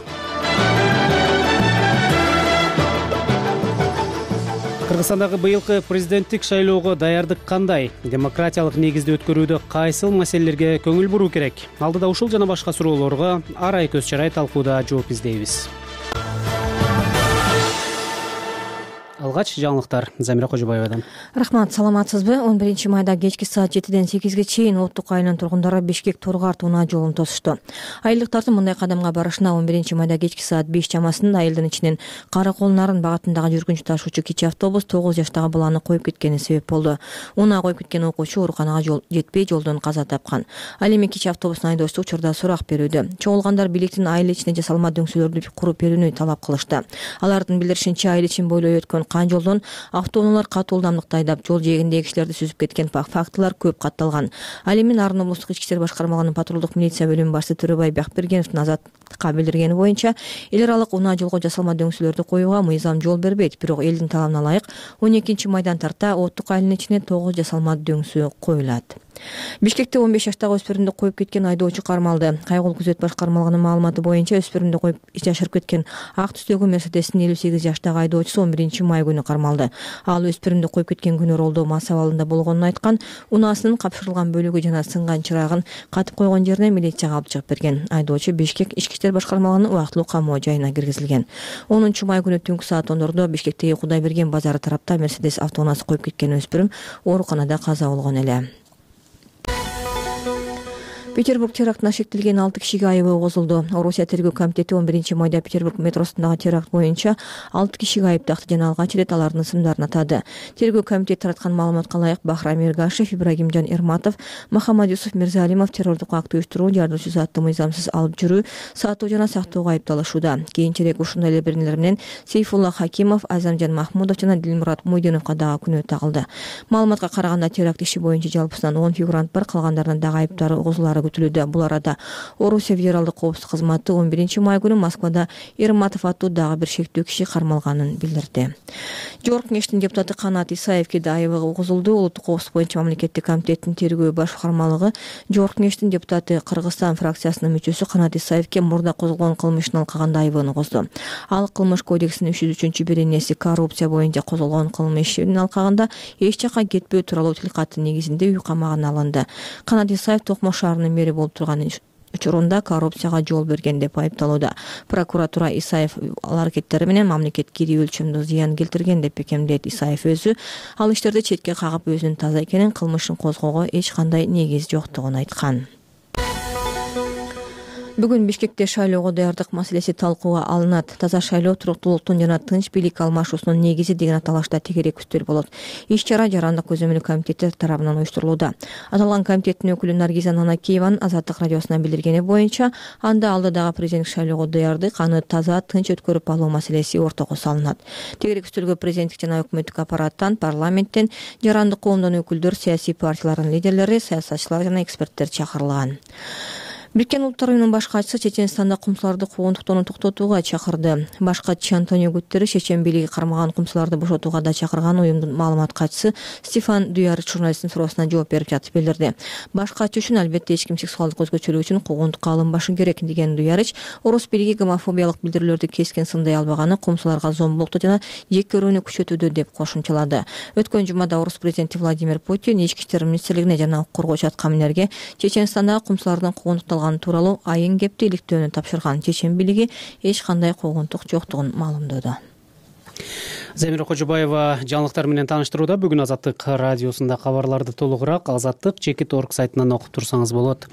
Кыргызстандагы быйылкы президенттик шайлоого даярдык кандай? Демократиялык негизде өткөрүүдө кайсыл маселелерге көңүл буруу керек? Алдыда ушул жана башка суроолорго арай көз чарай талкууда жооп издейбиз. Алгач жаңылыктар Замира Кожобаевадан. Рахмат, саламатсызбы? 11 майда кечки саат 7ден 8ге чейин Оттук айылынын тургундары Бишкек-Торгарт унаа жолун тосушту. Айылдыктардын мындай кадамга барышына 11 майда кечки саат 5 чамасында айылдын ичинен Каракол Нарын багытындагы жүргүнчү ташуучу кичи автобус 9 жаштагы баланы коюп кеткени себеп болду. Унаа коюп кеткен окуучу ооруканага жетпей жолдон каза тапкан. Ал эми кичи автобустун айдоочусу учурда сурак берүүдө. Чогулгандар бийликтин айыл ичине жасалма дөңсөлөрдү куруп берүүнү талап кылышты. Алардын билдиришинче, айыл ичин бойлой өткөн кан жолдон автоунаалар катуу ылдамдыкта айдап, жол жээгиндеги кишилерди сүзүп кеткен фактылар көп катталган. Ал эми Нарын облустук ички иштер башкармалыгынын патрулдук милиция бөлүмү башчысы Төрөбай Бакбергеновдун Азаттыкка билдиргени боюнча, эл аралык унаа жолго жасалма дөңсөлөрдү коюуга мыйзам жол бербейт. Бирок элдин талабына ылайык 12 майдан тарта Оттук айылынын ичине 9 жасалма дөңсөө коюлат. Бишкекте 15 жаштагы өспүрүмдү коюп кеткен айдоочу кармалды. Кайгыл күзөт башкармалыгынын маалыматы боюнча, өспүрүмдү коюп жашырып кеткен ак түстөгү Мерседестин 58 жаштагы айдоочусу 11 май күнү кармалды. Ал өспүрүмдү коюп кеткен күнү ролдоо мас абалында болгонун айткан, унаасынын капшырылган бөлүгү жана сынган чырагын катып койгон жерине милицияга алып чыгып берген. Айдоочу Бишкек ички иштер башкармалыгынын убактылуу камоо жайына киргизилген. 10 май күнү түнкү саат 10ордо Бишкектеги Кудайберген базары тарапта Мерседес автоунаасы коюп кеткен өспүрүм ооруканада каза болгон эле. Петербург терактына шектелген 6 кишиге айыбы козулду. Орусия тергөө комитети 11 майда Петербург метросундагы теракт боюнча 6 кишиге айып такты жана алгач ирет алардын ысымдарын атады. Тергөө комитети тараткан маалыматка ылайык Бахрам Эргашев, Ибрагимжан Эрматов, Махамад Юсуф Мирзалимов террордук акт уюштуруу, жардоочусу аттуу мыйзамсыз алып жүрүү, сатуу жана сактоого айыпталышууда. Кийинчерээк ушундай эле бирнелер менен Сейфулла Хакимов, Азамжан Махмудов жана Дилмурат Муйдиновго дагы күнөө тагылды. Маалыматка караганда теракт иши боюнча жалпысынан 10 фигурант бар, калгандарынын дагы айыптары козулаары күтүлүүдө. Бул арада Орусия федералдык коопсуздук кызматы 11 май күнү Москвада Эрматов аттуу дагы бир шектүү киши кармалганын билдирди. Жогорку кеңештин депутаты Канат Исаевге да айыбы козулду. Улуттук коопсуздук боюнча мамлекеттик комитеттин тергөө башкармалыгы Жогорку кеңештин депутаты Кыргызстан фракциясынын мүчөсү Канат Исаевге мурда козголгон кылмыштын алкагында айыбын козду. Ал кылмыш кодексинин 303 беренеси коррупция боюнча козголгон кылмыштын алкагында эч жакка кетпөө тууралуу тилкаттын негизинде үй камагына алынды. Канат Исаев Токмо шаарынын мэри болуп турган учурунда коррупцияга жол берген деп айыпталууда. Прокуратура Исаев ал аракеттери менен мамлекетке ири өлчөмдө зыян келтирген деп бекемдейт. Исаев өзү ал иштерди четке кагып өзүнүн таза экенин, кылмышын козгоого эч кандай негиз жоктугун айткан. Бүгүн Бишкекте шайлоого даярдык маселеси талкууга алынат. Таза шайлоо туруктуулуктун жана тынч бийлик алмашуусунун негизи деген аталышта тегерек үстөл болот. Иш-чара жарандык көзөмөлү комитети тарабынан уюштурулууда. Аталган комитеттин өкүлү Наргиза Нанакиеванын Азаттык радиосуна билдиргени боюнча, анда алдыдагы президенттик шайлоого даярдык, аны таза, тынч өткөрүп алуу маселеси ортого салынат. Тегерек үстөлгө президенттик жана өкмөттүк аппараттан, парламенттен, жарандык коомдон өкүлдөр, саясий партиялардын лидерлери, саясатчылар жана эксперттер чакырылган. Бириккен Улуттар уюмунун баш катчысы Чеченстанда кумсуларды куугунтуктоону токтотууга чакырды. Баш катчы Антонио Гутерриш чечен бийлиги кармаган кумсуларды бошотууга да чакырган уюмдун маалымат катчысы Стефан Дюярич журналисттин суроосуна жооп берип жатып билдирди. Баш катчы үчүн албетте эч ким сексуалдык өзгөчөлүк үчүн куугунтукка алынбашы керек деген Дюярич орус бийлиги гомофобиялык билдирүүлөрдү кескен сындай албаганы кумсуларга зомбулукту жана жек көрүүнү күчөтүүдө деп кошумчалады. Өткөн жумада орус президенти Владимир Путин ички иштер министрлигине жана укук коргоочу аткаминерге Чеченстандагы кумсулардын куугунтукталганы тууралуу айын кепти иликтөөнү тапшырган. Чечен бийлиги эч кандай куугунтук жоктугун маалымдооду. Замира Кожобаева жаңылыктар менен тааныштырууда. Бүгүн Азаттык радиосунда кабарларды толугураак azattik.org сайтынан окуп турсаңыз болот.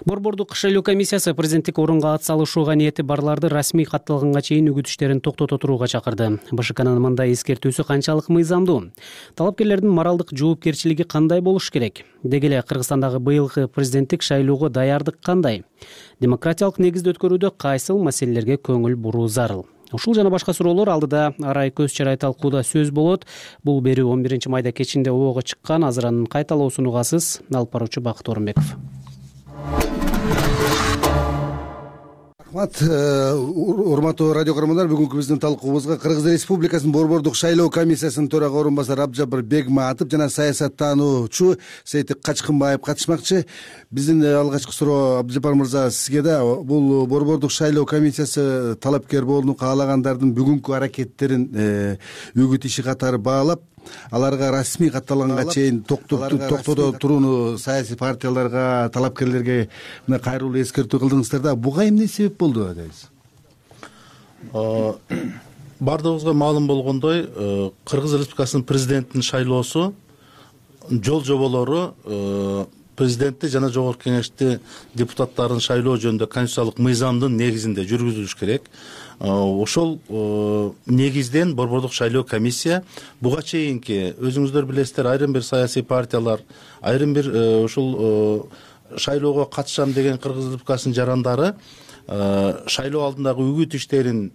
Борбордук шайлоо комиссиясы президенттик орунга ат салышууга ниети барларды расмий катталганга чейин үгүт иштерин токтото турууга чакырды. БШКнын мындай эскертүүсү канчалык мыйзамдуу? Талапкерлердин моралдык жоопкерчилиги кандай болуш керек? Деги эле Кыргызстандагы быйылкы президенттик шайлоого даярдык кандай? Демократиялык негизде өткөрүүдө кайсыл маселелерге көңүл буруу зарыл? Ушул жана башка суроолор алдыда арай көз чарай талкууда сөз болот. Бул берүү 11 майда кечинде обого чыккан. Азыр анын кайталоосун угасыз. Алып баруучу Бакыт Орунбеков. Урматтуу радио көрөрмандар, бүгүнкү биздин талкуубузга Кыргыз Республикасынын Борбордук шайлоо комиссиясынын төрага орун басары Абджабыр Бегматов жана саясаттануучу Сейтик Качкынбаев катышмакчы. Биздин алгачкы суроо Абджабыр мырза сизге да. Бул Борбордук шайлоо комиссиясы талапкер болууну каалагандардын бүгүнкү аракеттерин үгүт иши катары баалап, аларга расмий катталганга чейин токтото турууну саясий партияларга, талапкерлерге мына кайрылуу эскертүү кылдыңыздар да. Буга эмне себеп болду дейсиз? Бардыгыбызга маалым болгондой, Кыргыз Республикасынын президентинин шайлоосу жол жоболору президентти жана жогорку кеңешти депутаттарын шайлоо жөнүндө конституциялык мыйзамдын негизинде жүргүзүлүш керек. Ошол негизден Борбордук шайлоо комиссия буга чейинки өзүңүздөр билесиздер, айрым бир саясий партиялар, айрым бир ушул шайлоого катышам деген Кыргыз Республикасынын жарандары шайлоо алдындагы үгүт иштеринин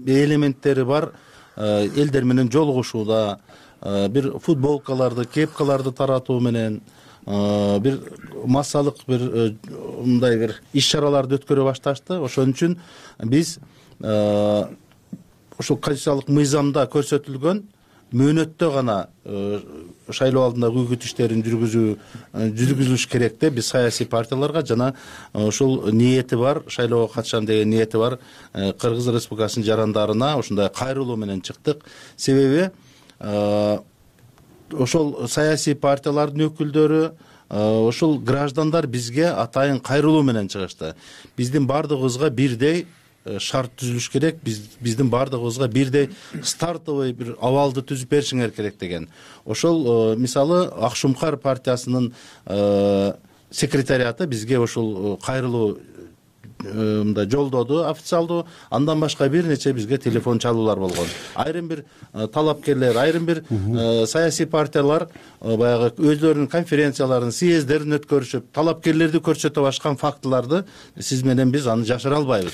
элементтери бар элдер менен жолугушууда, бир футболкаларды, кепкаларды таратуу менен бир массалык бир мындай бир иш-чараларды өткөрө башташты. Ошон үчүн биз ушул конституциялык мыйзамда көрсөтүлгөн мөөнөттө гана шайлоо алдындагы үгүт иштерин жүргүзүлүш керек деп биз саясий партияларга жана ушул ниети бар, шайлоого катышам деген ниети бар Кыргыз Республикасынын жарандарына ушундай кайрылуу менен чыктык. Себеби ошол саясий партиялардын өкүлдөрү, ошол граждандар бизге атайын кайрылуу менен чыгышты. Биздин бардыгыбызга бирдей шарт түзүлүш керек, биздин бардыгыбызга бирдей стартовый бир абалды түзүп беришиңер керек деген. Ошол мисалы Акшумкар партиясынын секретариаты бизге ошол кайрылуу мындай жолдоду официалдуу. Андан башка бир нече бизге телефон чалуулар болгон. Айрым бир талапкерлер, айрым бир саясий партиялар баягы өздөрүнүн конференцияларын, съезддерин өткөрүшүп, талапкерлерди көрсөтө башкан фактыларды сиз менен биз аны жашыра албайбыз.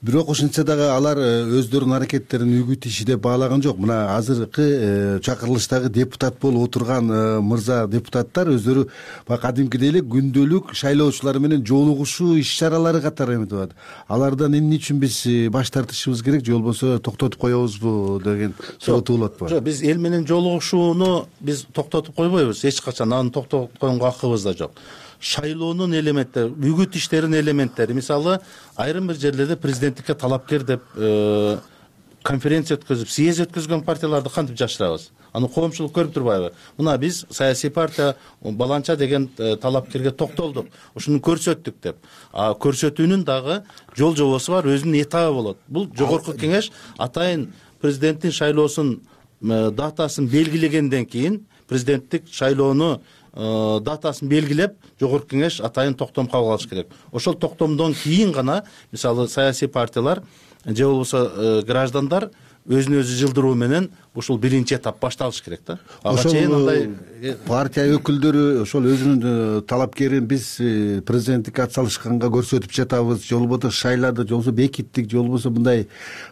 Бирок ошентсе дагы алар өздөрүнүн аракеттерин үгүт иши деп баалаган жок. Мына азыркы чакырылыштагы депутат болуп отурган мырза депутаттар өздөрү кадимкидей эле күндөлүк шайлоочулар менен жолугушуу иш-чаралары катары эметип атат. Алардан эмне үчүн биз баш тартышыбыз керек, же болбосо токтотуп коебузбу деген суроо туулат. Жок, биз эл менен жолугушууну биз токтотуп койбойбуз. Эч качан аны токтотуп койгонго акыбыз да жок. Шайлоонун элементтери, үгүт иштеринин элементтери, мисалы айрым бир жерлерде президенттикке талапкер деп конференция өткөзүп, съезд өткөзгөн партияларды кантип жашырабыз? Аны коомчулук көрүп турбайбы? Мына биз саясий партия баланча деген талапкерге токтолдук, ушуну көрсөттүк деп. Көрсөтүүнүн дагы жол жобосу бар, өзүнүн этабы болот. Бул жогорку кеңеш атайын президенттин шайлоосунун датасын белгилегенден кийин президенттик шайлоону датасын белгилеп, жогорку кеңеш атайын токтом кабыл алыш керек. Ошол токтомдон кийин гана мисалы саясий партиялар же болбосо граждандар өзүн өзү жылдыруу менен ушул биринчи этап башталыш керек да. Ага чейин андай партия өкүлдөрү ошол өзүнүн талапкерин биз президенттикке ат салышканга көрсөтүп жатабыз, же болбосо шайлады, же болбосо бекиттик, же болбосо мындай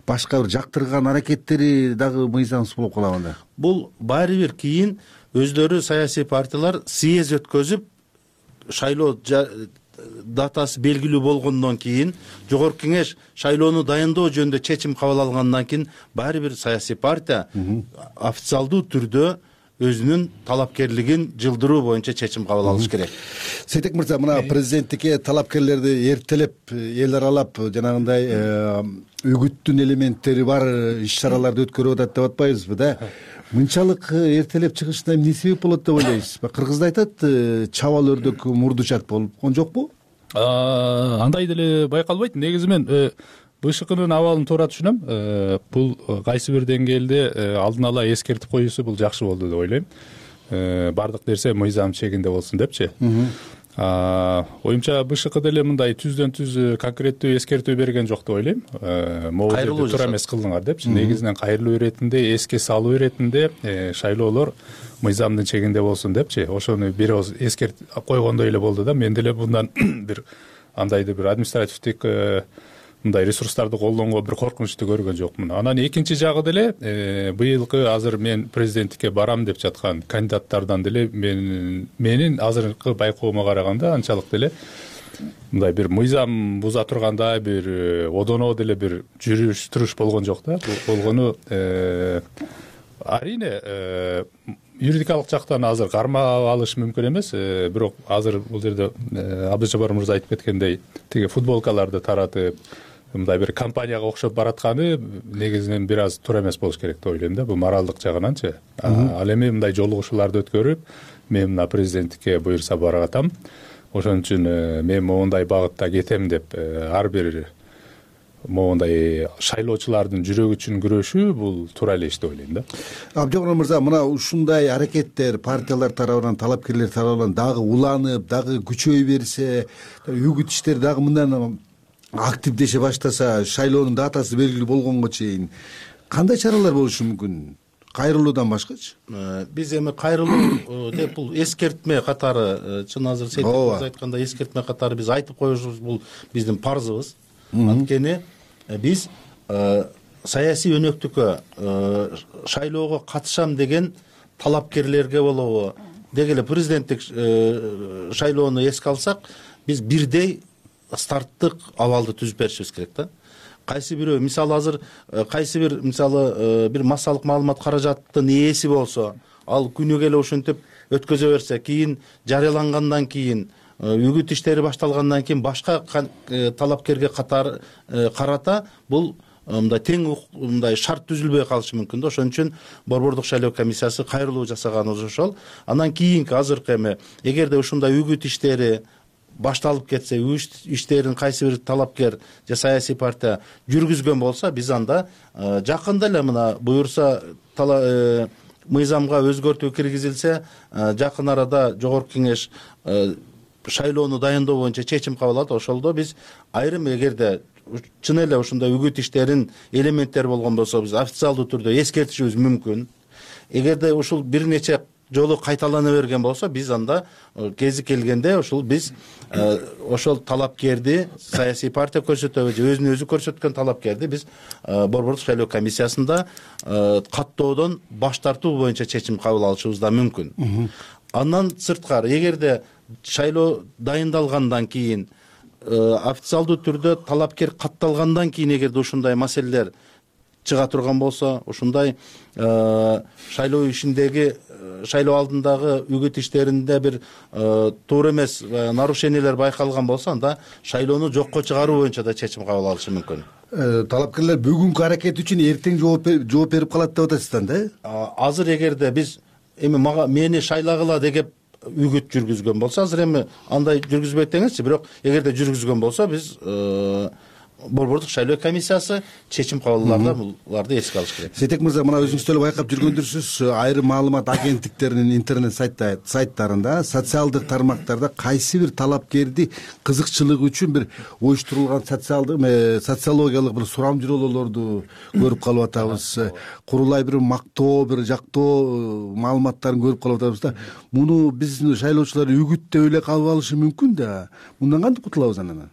башка бир жактырган аракеттери дагы мыйзамсыз болуп калабы анда. Бул баары бир кийин өздөрү саясий партиялар съезд өткөзүп, шайлоо датасы белгилүү болгондон кийин жогорку кеңеш шайлоону дайындоо жөнүндө чечим кабыл алгандан кийин баары бир саясий партия официалдуу түрдө өзүнүн талапкерлигин жылдыруу боюнча чечим кабыл алыш керек. Сейтек мырза, мына президенттикке талапкерлерди эртелеп, эл аралап жанагындай үгүттүн элементтери бар иш чараларды өткөрүп атат деп атпайбызбы да? Мынчалык эртелеп чыгышына эмне себеп болот деп ойлойсузбу? Кыргызда айтат, чабал өрдөк мурдучат болгон жокпу? Андай деле байкалбайт. Негизи мен БШКнын абалын туура түшүнөм. Бул кайсы бир деңгээлде алдын ала эскертип коюусу бул жакшы болду деп ойлойм. Бардык нерсе мыйзам чегинде болсун депчи. Оюмча БШК деле мындай түздөн түз конкреттүү эскертүү берген жок деп ойлойм. Могу жерде туура эмес кылдыңар депчи. Негизинен кайрылуу иретинде, эске салуу иретинде шайлоолор мыйзамдын чегинде болсун депчи. Ошону бир ооз эскертип койгондой эле болду да. Мен деле мындан бир андайды бир административдик мындай ресурстарды колдонгонго бир коркунучту көргөн жокмун. Анан экинчи жагы деле быйылкы азыр мен президенттикке барам деп жаткан кандидаттардан деле менин азыркы байкоомо караганда анчалык деле мындай бир мыйзам буза тургандай бир одоно деле бир жүрүш туруш болгон жок да. Болгону арийне юридикалык жактан азыр кармап алыш мүмкүн эмес, бирок азыр бул жерде Абдыжапар мырза айтып кеткендей тиги футболкаларды таратып мындай бир компанияга окшоп баратканы негизинен бир аз туура эмес болуш керек деп ойлойм да, бул моралдык жагынанчы. Ал эми мындай жолугушууларды өткөрүп мен мына президенттикке буюрса баратам, ошон үчүн мен моундай багытта кетем деп ар бир моундай шайлоочулардын жүрөгү үчүн күрөшүү бул туура эле иш деп ойлойм да. Абдыжапар мырза, мына ушундай аракеттер партиялар тарабынан, талапкерлер тарабынан дагы уланып, дагы күчөй берсе, үгүт иштери дагы мындан активдеше баштаса, шайлоонун датасы белгилүү болгонго чейин кандай чаралар болушу мүмкүн? Кайрылуудан башкачы? Биз эми кайрылуу деп бул эскертме катары, чын азыр Сейтек айткандай эскертме катары биз айтып коюшубуз бул биздин парзыбыз. Анткени биз саясий өнөктүккө шайлоого катышам деген талапкерлерге болобу, деги эле президенттик шайлоону эске алсак, биз бирдей старттык абалды түзүп беришибиз керек да. Кайсы бирөө мисалы азыр кайсы бир мисалы бир массалык маалымат каражаттын ээси болсо, ал күнүгө эле ушинтип өткөзө берсе, кийин жарыялангандан кийин үгүт иштери башталгандан кийин башка талапкерге карата бул мындай тең мындай шарт түзүлбөй калышы мүмкүн да. Ошон үчүн Борбордук шайлоо комиссиясы кайрылуу жасаганыбыз ошол. Андан кийинки азыркы эми эгерде ушундай үгүт иштери башталып кетсе, иштерин кайсы бир талапкер же саясий партия жүргүзгөн болсо, биз анда жакында эле мына буюрса мыйзамга өзгөртүү киргизилсе, жакын арада жогорку кеңеш шайлоону дайындоо боюнча чечим кабыл алат. Ошолдо биз айрым эгерде чын эле ушундай үгүт иштерин элементтери болгон болсо, биз официалдуу түрдө эскертишибиз мүмкүн. Эгерде ушул бир нече жолу кайталана берген болсо, биз анда кези келгенде ушул биз ошол талапкерди саясий партия көрсөтөбү же өзүн өзү көрсөткөн талапкерди биз Борбордук шайлоо комиссиясында каттоодон баш тартуу боюнча чечим кабыл алышыбыз да мүмкүн. Андан сырткары, эгерде шайлоо дайындалгандан кийин официалдуу түрдө талапкер катталгандан кийин эгерде ушундай маселелер чыга турган болсо, ушундай шайлоо ишиндеги шайлоо алдындагы үгүт иштеринде бир туура эмес нарушениялер байкалган болсо, анда шайлоону жокко чыгаруу боюнча да чечим кабыл алышы мүмкүн. Талапкерлер бүгүнкү аракет үчүн эртең жооп берип калат деп атасыздар да? Азыр эгерде биз эми мени шайлагыла деп үгүт жүргүзгөн болсо, азыр эми андай жүргүзбөйт деңизчи, бирок эгерде жүргүзгөн болсо, биз Борбордук шайлоо комиссиясы чечим кабыл алганда буларды эске алыш керек. Сейтек мырза, мына өзүңүз деле байкап жүргөндүрсүз, айрым маалымат агенттиктеринин интернет сайттарында, социалдык тармактарда кайсы бир талапкерди кызыкчылыгы үчүн бир оюштурулган социологиялык бир сурам журалоолорду көрүп калып атабыз. Курулай бир мактоо, бир жактоо маалыматтарын көрүп калып атабыз да. Муну биздин шайлоочулар үгүттөп эле калып алышы мүмкүн да. Мындан кантип кутулабыз анан?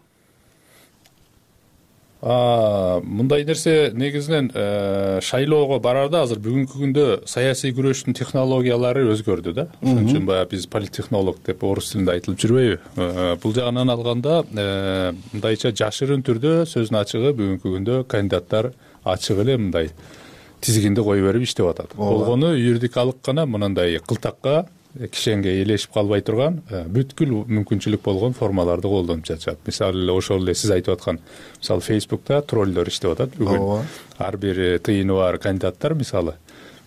Мындай нерсе негизинен шайлоого барарда азыр бүгүнкү күндө саясий күрөштүн технологиялары өзгөрдү да. Ошон үчүн баягы биз политтехнолог деп орус тилинде айтылып жүрбөйбү. Бул жагынан алганда мындайча жашырын түрдө сөздүн ачыгы бүгүнкү күндө кандидаттар ачык эле мындай тизигинди кое берип иштеп атат. Болгону юридикалык гана мындай кылтакка кишенге элешип калбай турган бүткүл мүмкүнчүлүк болгон формаларды колдонуп жатышат. Мисалы эле ошол эле сиз айтып аткан мисалы Facebook'та троллдор иштеп атат бүгүн. Ар бир тыйыны бар кандидаттар мисалы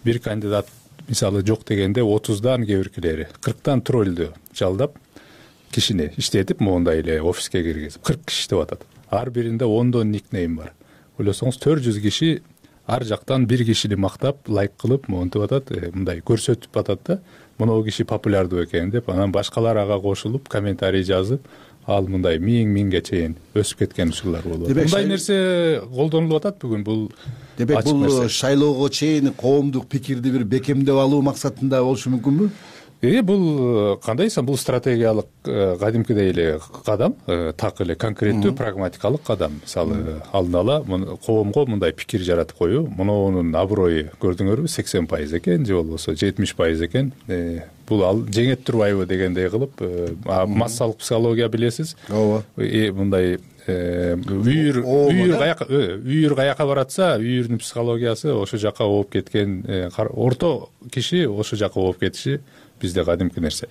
бир кандидат мисалы жок дегенде 30дан кээ биркилери 40тан троллду жалдап кишини иштетип моундай эле офиске киргизип 40 киши иштеп атат. Ар биринде 10дон никнейм бар. Ойлосоңуз 400 киши ар жактан бир кишини мактап, лайк кылып, монтип атат, мындай көрсөтүп атат да. Мынау киши популярдуу экен деп, анан башкалар ага кошулуп, комментарий жазып, ал мындай миңге чейин өсүп кеткен учурлар болуп атат. Мындай нерсе колдонулуп атат бүгүн. Бул демек бул шайлоого чейин коомдук пикирди бир бекемдеп алуу максатында болушу мүмкүнбү? Бул кандайсың, бул стратегиялык кадимкидей эле кадам, так эле конкреттүү прагматикалык кадам. Мисалы алдын ала коомго мындай пикир жаратып коюу, муунун аброю көрдүңөрбү 80% экен же болбосо 70% экен. Бул ал жеңет турбайбы дегендей кылып, массалык психология билесиз. Ооба. Мындай үйүр каяка баратса, үйүрдүн психологиясы ошол жака ооп кеткен, орто киши ошол жака ооп кетиши бизде кадимки нерсе.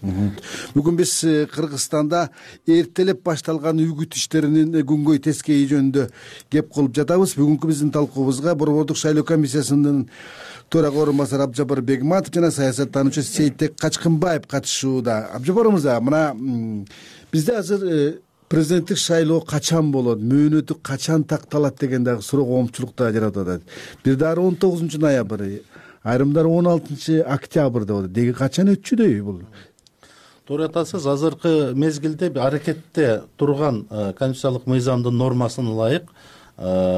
Бүгүн биз Кыргызстанда эртелеп башталган үгүт иштеринин күнгөй тескейи жөнүндө кеп кылып жатабыз. Бүгүнкү биздин талкуубузга Борбордук шайлоо комиссиясынын төрага орун басары Абжапар Бегматов жана саясаттануучу Сейитбек Качкынбаев катышууда. Абжапар мырза, мына бизде азыр президенттик шайлоо качан болот, мөөнөтү качан такталат деген дагы суроо коомчулукта жаратып атат. Бир дары 19 ноябрь, айрымдар 16 октябрь деп атат. Деги качан өтчүдөй бул? Туура айтасыз, азыркы мезгилде аракетте турган конституциялык мыйзамдын нормасына ылайык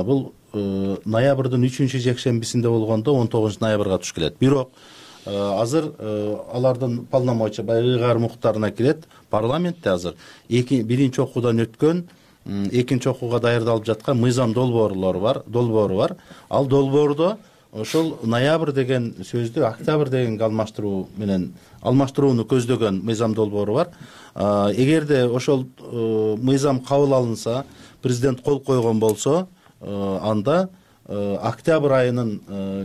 бул ноябрдын 3-жекшембисинде болгондо 19 ноябрга туш келет. Бирок азыр алардын полномочия ыйгар муктарына кирет. Парламентте азыр биринчи окуудан өткөн, экинчи окууга даярдалып жаткан мыйзам долбоору бар. Ал долбоордо ошол ноябрь деген сөздү октябрь дегенге алмаштырууну көздөгөн мыйзам долбоору бар. Эгерде ошол мыйзам кабыл алынса, президент кол койгон болсо, анда октябрь айынын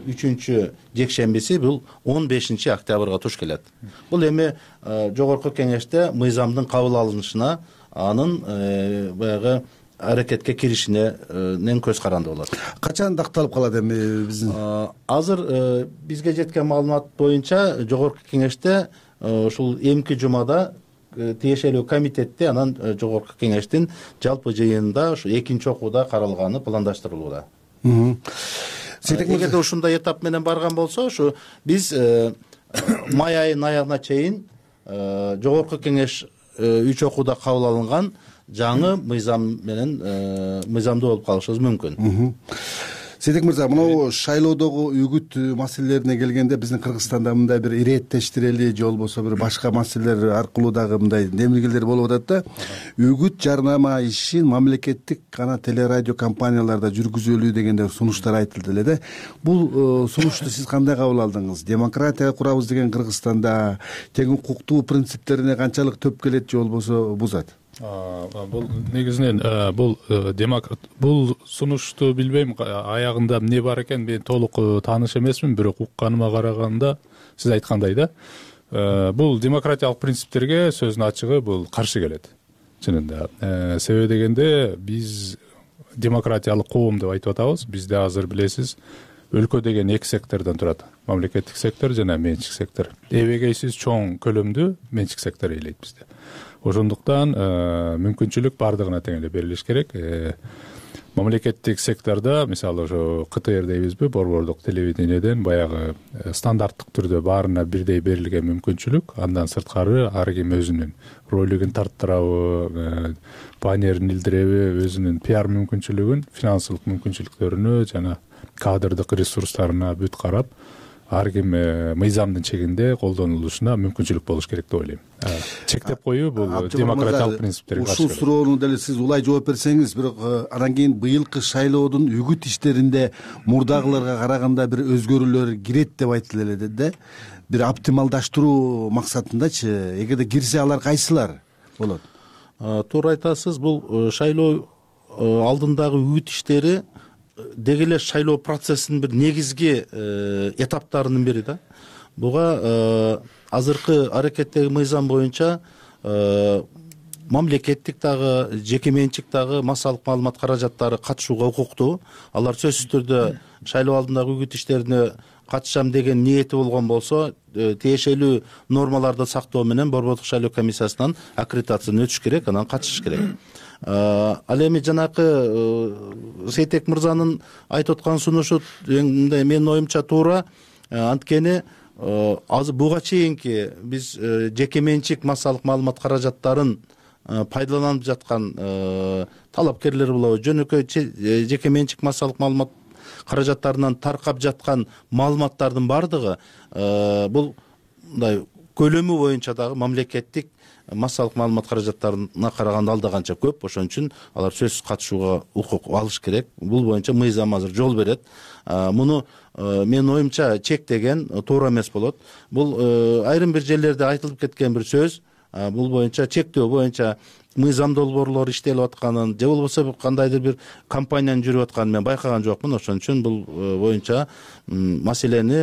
3-жекшембиси бул 15 октябрга туш келет. Бул эми жогорку кеңеште мыйзамдын кабыл алынышына, анын баягы аракетке киришинен көз каранды болот. Качан такталып калат эми биздин? Азыр бизге жеткен маалымат боюнча жогорку кеңеште ушул эмки жумада тиешелүү комитетте, анан жогорку кеңештин жалпы жыйынында ушу экинчи окууда каралганы пландаштырылууда. Эгерде ушундай этап менен барган болсо, ушу биз май айынын аягына чейин жогорку кеңеш 3 окууда кабыл алынган жаңы мыйзамдуу болуп калышыбыз мүмкүн. Сейитбек мырза, мына шайлоодогу үгүт маселелерине келгенде биздин Кыргызстанда мындай бир иреттештирели же болбосо бир башка маселелер аркылуу дагы мындай демилгелер болуп атат да. Үгүт жарнама ишин мамлекеттик гана телерадио компанияларда жүргүзөлүү дегенде сунуштар айтылды эле да. Бул сунушту сиз кандай кабыл алдыңыз? Демократия курабыз деген Кыргызстанда тең укуктуу принциптерине канчалык төп келет же болбосо бузат? Бул негизинен бул сунушту билбейм, аягында эмне бар экен, мен толук тааныш эмесмин, бирок укканыма караганда сиз айткандай да, бул демократиялык принциптерге сөздүн ачыгы бул каршы келет. Чынында. Себеби дегенде биз демократиялык коом деп айтып атабыз. Бизде азыр билесиз, өлкө деген 2 сектордон турат. Мамлекеттик сектор жана менчик сектор. Эбегейсиз чоң көлөмдүү менчик сектор ээлейт бизде. Ошондуктан мүмкүнчүлүк бардыгына тең эле берилиш керек. Мамлекеттик сектордо, мисалы ошо КТР дейбизби, борбордук телевидениеден баягы стандарттык түрдө баарына бирдей берилген мүмкүнчүлүк, андан сырткары ар ким өзүнүн ролигин тарттырабы, баннерин илдиреби, өзүнүн пиар мүмкүнчүлүгүн, финансылык мүмкүнчүлүктөрүнө жана кадрдык ресурстарына бүт карап, ар ким мыйзамдын чегинде колдонулушуна мүмкүнчүлүк болуш керек деп ойлойм. Чектеп коюу бул демократиялык принциптерге каршы. Ушул суроону деле сиз улай жооп берсеңиз, бирок анан кийин быйылкы шайлоодун үгүт иштеринде мурдагыларга караганда бир өзгөрүүлөр кирет деп айтылып эле да. Бир оптималдаштыруу максатындачы, эгерде кирсе алар кайсылар болот? Туура айтасыз. Бул шайлоо алдындагы үгүт иштери деги эле шайлоо процессинин бир негизги этаптарынын бири да. Буга азыркы аракеттеги мыйзам боюнча мамлекеттик дагы, жеке менчик дагы массалык маалымат каражаттары катышууга укуктуу. Алар сөзсүз түрдө шайлоо алдындагы үгүт иштерине катышам деген ниети болгон болсо, тиешелүү нормаларды сактоо менен Борбордук шайлоо комиссиясынан аккредитациядан өтүш керек, анан катышыш керек. Ал эми жанакы Сейтек мырзанын айтып аткан сунушу менин оюмча туура. Анткени азыр буга чейинки биз жеке менчик массалык маалымат каражаттарын пайдаланып жаткан талапкерлер болобу, жөнөкөй жеке менчик массалык маалымат каражаттарынан таркап жаткан маалыматтардын бардыгы бул мындай көлөмү боюнча дагы мамлекеттик массалык маалымат каражаттарына караганда алда канча көп. Ошон үчүн алар сөзсүз катышууга укук алыш керек. Бул боюнча мыйзам азыр жол берет. Муну менин оюмча чектеген туура эмес болот. Бул айрым бир жерлерде айтылып кеткен бир сөз. Бул боюнча чектөө боюнча мыйзам долбоорлор иштелип атканын же болбосо кандайдыр бир компаниянын жүрүп атканын мен байкаган жокмун. Ошон үчүн бул боюнча маселени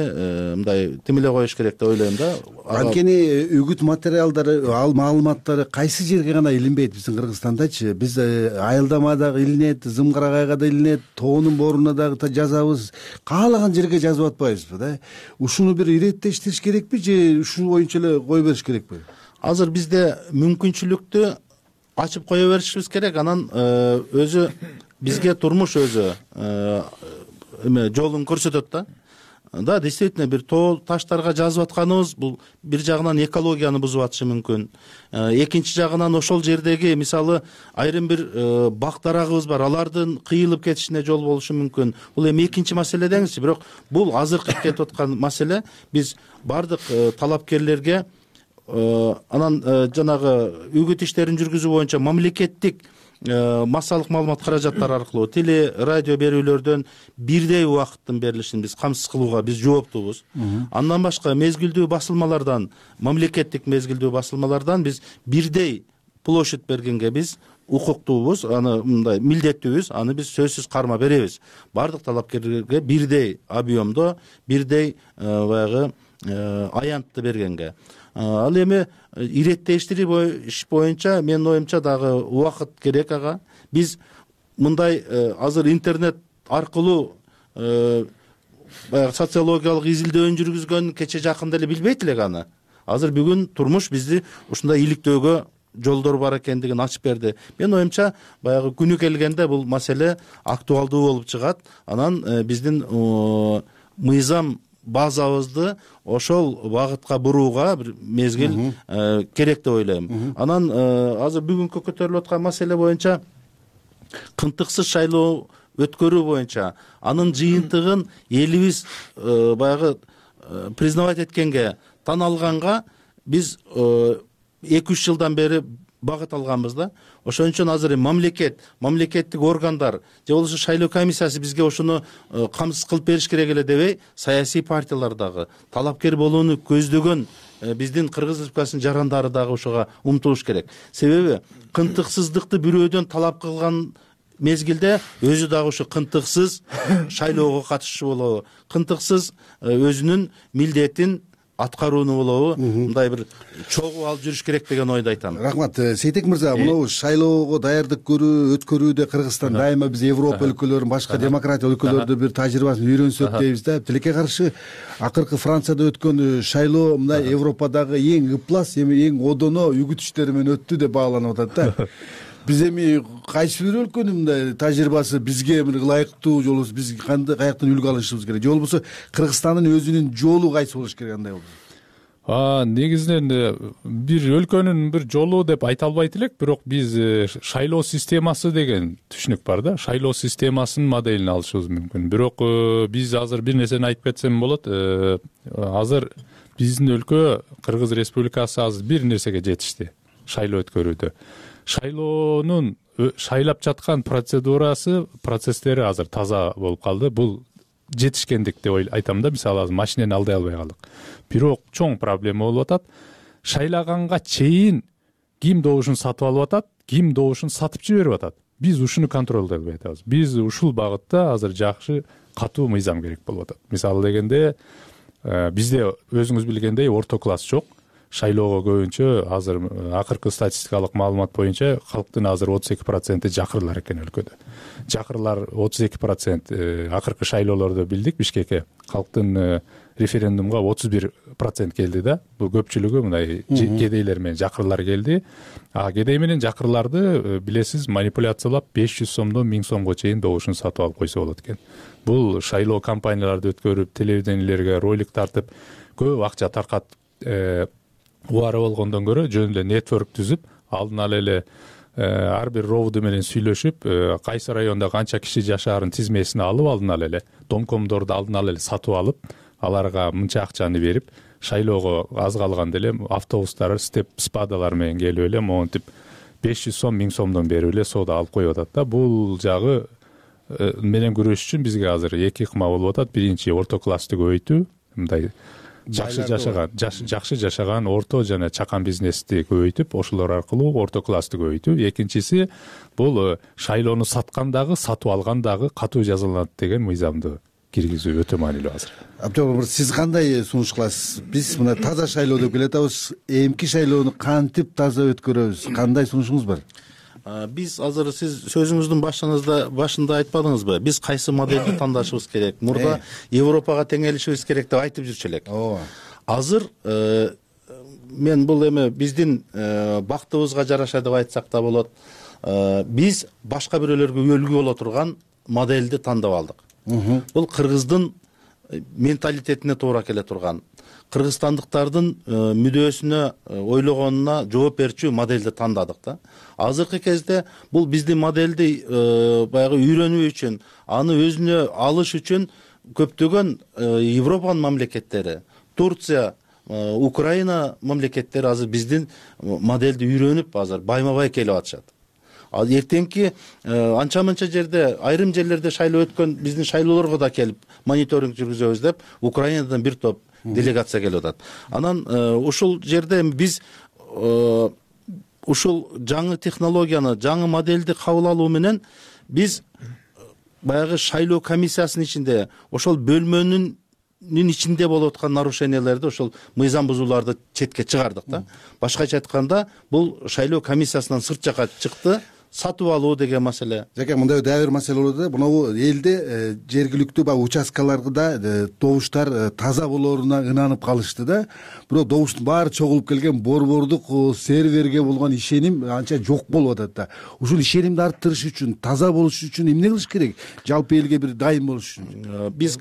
мындай тим эле коюш керек деп ойлойм да. Анткени үгүт материалдары, ал маалыматтары кайсы жерге гана илинбейт биздин Кыргызстандачы. Биз Айылдама дагы илинет, Зымгырагайга да илинет, Тоонун бооруна дагы жазабыз. Каалаган жерге жазып атпайбызбы да? Ушуну бир иреттештириш керекпи же ушул боюнча эле кое бериш керекпи? Азыр бизде мүмкүнчүлүктү ачып кое беришибиз керек. Анан өзү бизге турмуш өзү жолун көрсөтөт да. Да, действительно бир тоо таштарга жазып атканыбыз бул бир жагынан экологияны бузуп атышы мүмкүн. Экинчи жагынан ошол жердеги мисалы айрым бир бак дарагыбыз бар, алардын кыйылып кетишине жол болушу мүмкүн. Бул эми экинчи маселе деңизчи, бирок бул азыркы кетип аткан маселе. Биз бардык талапкерлерге анан жанагы үгүт иштерин жүргүзүү боюнча мамлекеттик массалык маалымат каражаттары аркылуу теле радио берүүлөрдөн бирдей убакыттын берилишин биз камсыз кылууга биз жооптуубуз. Андан башка мезгилдүү басылмалардан, мамлекеттик мезгилдүү басылмалардан биз бирдей площадь бергенге биз укуктуубуз, аны мындай милдеттүүбүз, аны биз сөзсүз карма беребиз. Бардык талапкерлерге бирдей объемдо, бирдей баягы аянтты бергенге. Ал эми иреттештириш боюнча менин оюмча дагы убакыт керек ага. Биз мындай азыр интернет аркылуу баягы социологиялык изилдөөнү жүргүзгөн кече жакында эле билбейт элек аны. Азыр бүгүн турмуш бизди ушундай иликтөөгө жолдор бар экендигин ачып берди. Менин оюмча баягы күнү келгенде бул маселе актуалдуу болуп чыгат. Анан биздин мыйзам базабызды ошол багытка бурууга бир мезгил керек деп ойлойм. Анан азыр бүгүнкү көтөрүлүп аткан маселе боюнча кынтыксыз шайлоо өткөрүү боюнча анын жыйынтыгын элибиз баягы признавать эткенге, тан алганга биз 2-3 жылдан бери багыт алганбыз да. Ошон үчүн азыр мамлекеттик органдар же болбосо шайлоо комиссиясы бизге ошону камсыз кылып бериш керек эле дебей, саясий партиялар дагы талапкер болууну көздөгөн биздин Кыргыз Республикасынын жарандары дагы ошого умтулуш керек. Себеби кынтыксыздыкты бирөөдөн талап кылган мезгилде өзү дагы ушу кынтыксыз шайлоого катышчу болобу, кынтыксыз өзүнүн милдетин аткарууну болобу, мындай бир чогуу алып жүрүш керек деген ойду айтам. Рахмат. Сейтек мырза, мынау шайлоого даярдык көрүү, өткөрүүдө Кыргызстан дайыма биз Европа өлкөлөрүнүн, башка демократия өлкөлөрдө бир тажрыйбасын үйрөнсөк дейбиз да. Тилекке каршы акыркы Францияда өткөн шайлоо мына Европадагы эң ыплас, эң одоно үгүт иштери менен өттү деп бааланып атат да. Биз эми кайсы бир өлкөнүн мындай тажрыйбасы бизге ылайыктуу, же болбосо биз каяктан үлгү алышыбыз керек, же болбосо Кыргызстандын өзүнүн жолу кайсы болуш керек, андай болсо? Негизинен бир өлкөнүн бир жолу деп айта албайт элек, бирок биз шайлоо системасы деген түшүнүк бар да, шайлоо системасынын моделин алышыбыз мүмкүн. Бирок биз азыр бир нерсени айтып кетсем болот. Азыр биздин өлкө, Кыргыз Республикасы азыр бир нерсеге жетишти шайлоо өткөрүүдө. Шайлоонун шайлап жаткан процесстери азыр таза болуп калды. Бул жетишкендик деп айтам да. Мисалы азыр машинени алдай албай калдык. Бирок чоң проблема болуп атат. Шайлаганга чейин ким добушун сатып алып атат, ким добушун сатып жиберип атат. Биз ушуну контролдой албай атабыз. Биз ушул багытта азыр жакшы катуу мыйзам керек болуп атат. Мисалы дегенде бизде өзүңүз билгендей орто класс жок. Шайлоого көбүнчө азыр акыркы статистикалык маалымат боюнча калктын азыр 32% жакырлар экен өлкөдө. Жакырлар 32% акыркы шайлоолордо билдик Бишкекке. Калктын референдумга 31% келди да. Бул көпчүлүгү мындай кедейлер менен жакырлар келди. Кедей менен жакырларды билесиз манипуляциялап 500 сомдон 1000 сомго чейин добушун сатып алып койсо болот экен. Бул шайлоо кампанияларды өткөрүп, телевидениелерге ролик тартып, көп акча таркатып убары болгондон көрө жөн эле нетворк түзүп, алдын ала эле ар бир ровду менен сүйлөшүп, кайсы районда канча киши жашаарын тизмесин алып, алдын ала эле домкомдорду алдын ала эле сатып алып, аларга мынча акчаны берип, шайлоого аз калганда эле автобустар, спадалар менен келип эле монтип 500 сом, 1000 сомдон берип эле соода алып коюп атат да. Бул жагы менен күрөш үчүн бизге азыр эки ыкма болуп атат. Биринчи орто классты көбөйтүү, мындай жакшы жашаган орто жана чакан бизнести көбөйтүп, ошолор аркылуу орто классты көбөйтүү. Экинчиси бул шайлоону саткандагы, сатып алгандагы катуу жазаланат деген мыйзамды киргизүү өтө маанилүү азыр. Абдыжапар, сиз кандай сунуш кыласыз? Биз мына таза шайлоо деп келатабыз. Эмки шайлоону кантип таза өткөрөбүз? Кандай сунушуңуз бар? Биз азыр сиз сөзүңүздүн башында айтпадыңызбы? Биз кайсы модельди тандашыбыз керек? Мурда Европага теңелишибиз керек деп айтып жүрчү элек. Азыр мен бул эми биздин бактыбызга жараша деп айтсак да болот. Биз башка бирөөлөргө үлгү боло турган модельди тандап алдык. Бул кыргыздын менталитетине туура келе турган, кыргызстандыктардын мүдөөсүнө, ойлогонуна жооп берчү модельди тандадык да. Азыркы кезде бул биздин модельди баягы үйрөнүү үчүн, аны өзүнө алыш үчүн көптөгөн Европанын мамлекеттери, Турция, Украина мамлекеттери азыр биздин модельди үйрөнүп азыр байма-бай келип атышат. Эртеңки анча-мынча жерде, айрым жерлерде шайлоо өткөн биздин шайлоолорго да келип мониторинг жүргүзөбүз деп Украинадан бир топ делегация келип атат. Анан ушул жерде биз ушул жаңы технологияны, жаңы модельди кабыл алуу менен биз баягы шайлоо комиссиясынын ичинде, ошол бөлмөнүн ичинде болуп аткан нарушениялерди, ошол мыйзам бузууларды четке чыгардык да. Башкача айтканда, бул шайлоо комиссиясынан сырт жака чыкты. Сатып алуу деген маселе. Жаке, мындай дагы бир маселе болот да. Мына элде жергиликтүү баягы участкаларда добуштар таза болоруна ынанып калышты да. Бирок добуштун баары чогулуп келген борбордук серверге болгон ишеним анча жок болуп атат да. Ушул ишенимди арттырыш үчүн, таза болуш үчүн эмне кылыш керек? Жалпы элге бир дайым болуш үчүн. Биз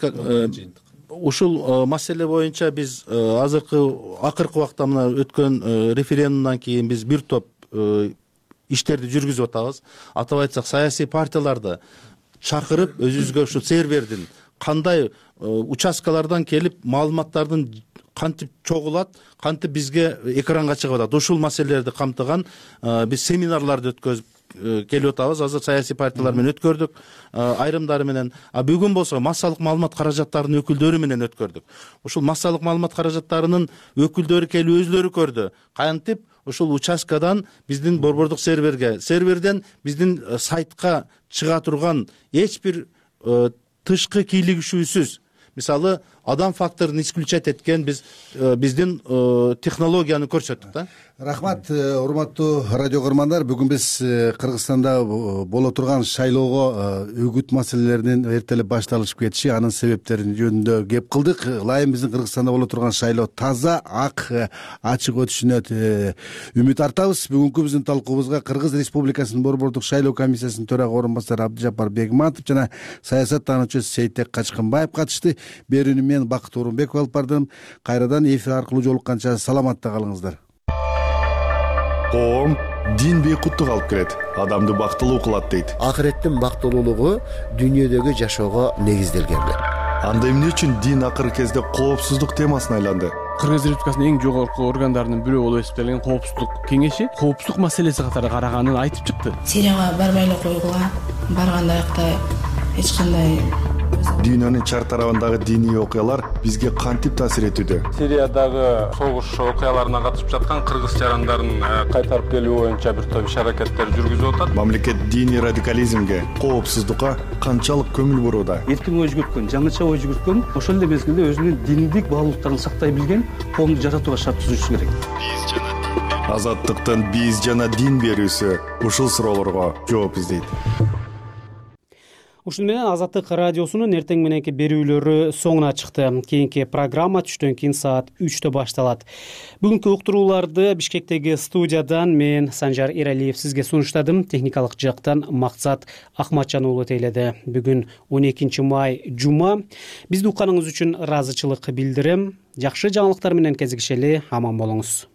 ушул маселе боюнча биз акыркы убакта мына өткөн референдумдан кийин биз бир топ иштерди жүргүзүп атабыз. Атап айтсак, саясий партияларды чакырып, өзүбүзгө ушу сервердин кандай участкалардан келип маалыматтардын кантип чогулат, кантип бизге экранга чыгып атат, ушул маселелерди камтыган биз семинарларды өткөзүп келип атабыз. Азыр саясий партиялар менен өткөрдүк, айрымдары менен. Бүгүн болсо массалык маалымат каражаттарынын өкүлдөрү менен өткөрдүк. Ушул массалык маалымат каражаттарынын өкүлдөрү келип өзлөрү көрдү. Кантип ушул участкадан биздин борбордук серверден биздин сайтка чыга турган эч бир тышкы кийлигишүүсүз, мисалы, адам факторун исключать эткен биздин технологияны көрсөттүк да. Рахмат, урматтуу радио көрөрмандар. Бүгүн биз Кыргызстанда боло турган шайлоого үгүт маселелеринин эртелеп башталышып кетиши, анын себептерин жөнүндө кеп кылдык. Ылайым биздин Кыргызстанда боло турган шайлоо таза, ак, ачык өтүшүнө үмүт артабыз. Бүгүнкү биздин талкуубузга Кыргыз Республикасынын борбордук шайлоо комиссиясынын төрага орун басары Абдыжапар Бегматов жана саясаттануучу Сейтек Качкынбаев катышты. берүүнү мен Бакыт Орунбеков алып бардым. Кайрадан эфир аркылуу жолукканча саламатта калыңыздар. Коом дин бейкуттук алып келет, адамды бактылуу кылат дейт. Акыреттин бактылуулугу дүйнөдөгү жашоого негизделген. Анда эмне үчүн дин акыркы кезде коопсуздук темасына айланды? Кыргыз Республикасынын эң жогорку органдарынын бирөө болуп эсептелген коопсуздук кеңеши коопсуздук маселеси катары караганын айтып чыкты. Сирияга барбай эле койгула, барганда аякта эч кандай Дүйнөнүн чар тарабындагы диний окуялар бизге кантип таасир этүүдө? Сириядагы согуш окуяларына катышып жаткан кыргыз жарандарын кайтарып келүү боюнча бир топ иш-аракеттер жүргүзүп атат. Мамлекет диний радикализмге, коопсуздукка канчалык көңүл бурууда? Эркин ой жүгүрткөн, жаңыча ой жүгүрткөн, ошол эле мезгилде өзүнүн диндик баалуулуктарын сактай билген коомду жаратууга шарт түзүшү керек. Азаттыктын биз жана дин берүүсү ушул суроолорго жооп издейт. Ушуну менен Азаттык радиосунун эртең мененки берүүлөрү соңуна чыкты. Кийинки программа түштөн кийин саат 3тө башталат. Бүгүнкү уктурууларды Бишкектеги студиядан мен Санжар Эралиев сизге сунуштадым. Техникалык жактан Максат Акматжан уулу тейледи. Бүгүн 12 май жума. Бизди укканыңыз үчүн ыраазычылык билдирем. Жакшы жаңылыктар менен кезигишели, аман болуңуз.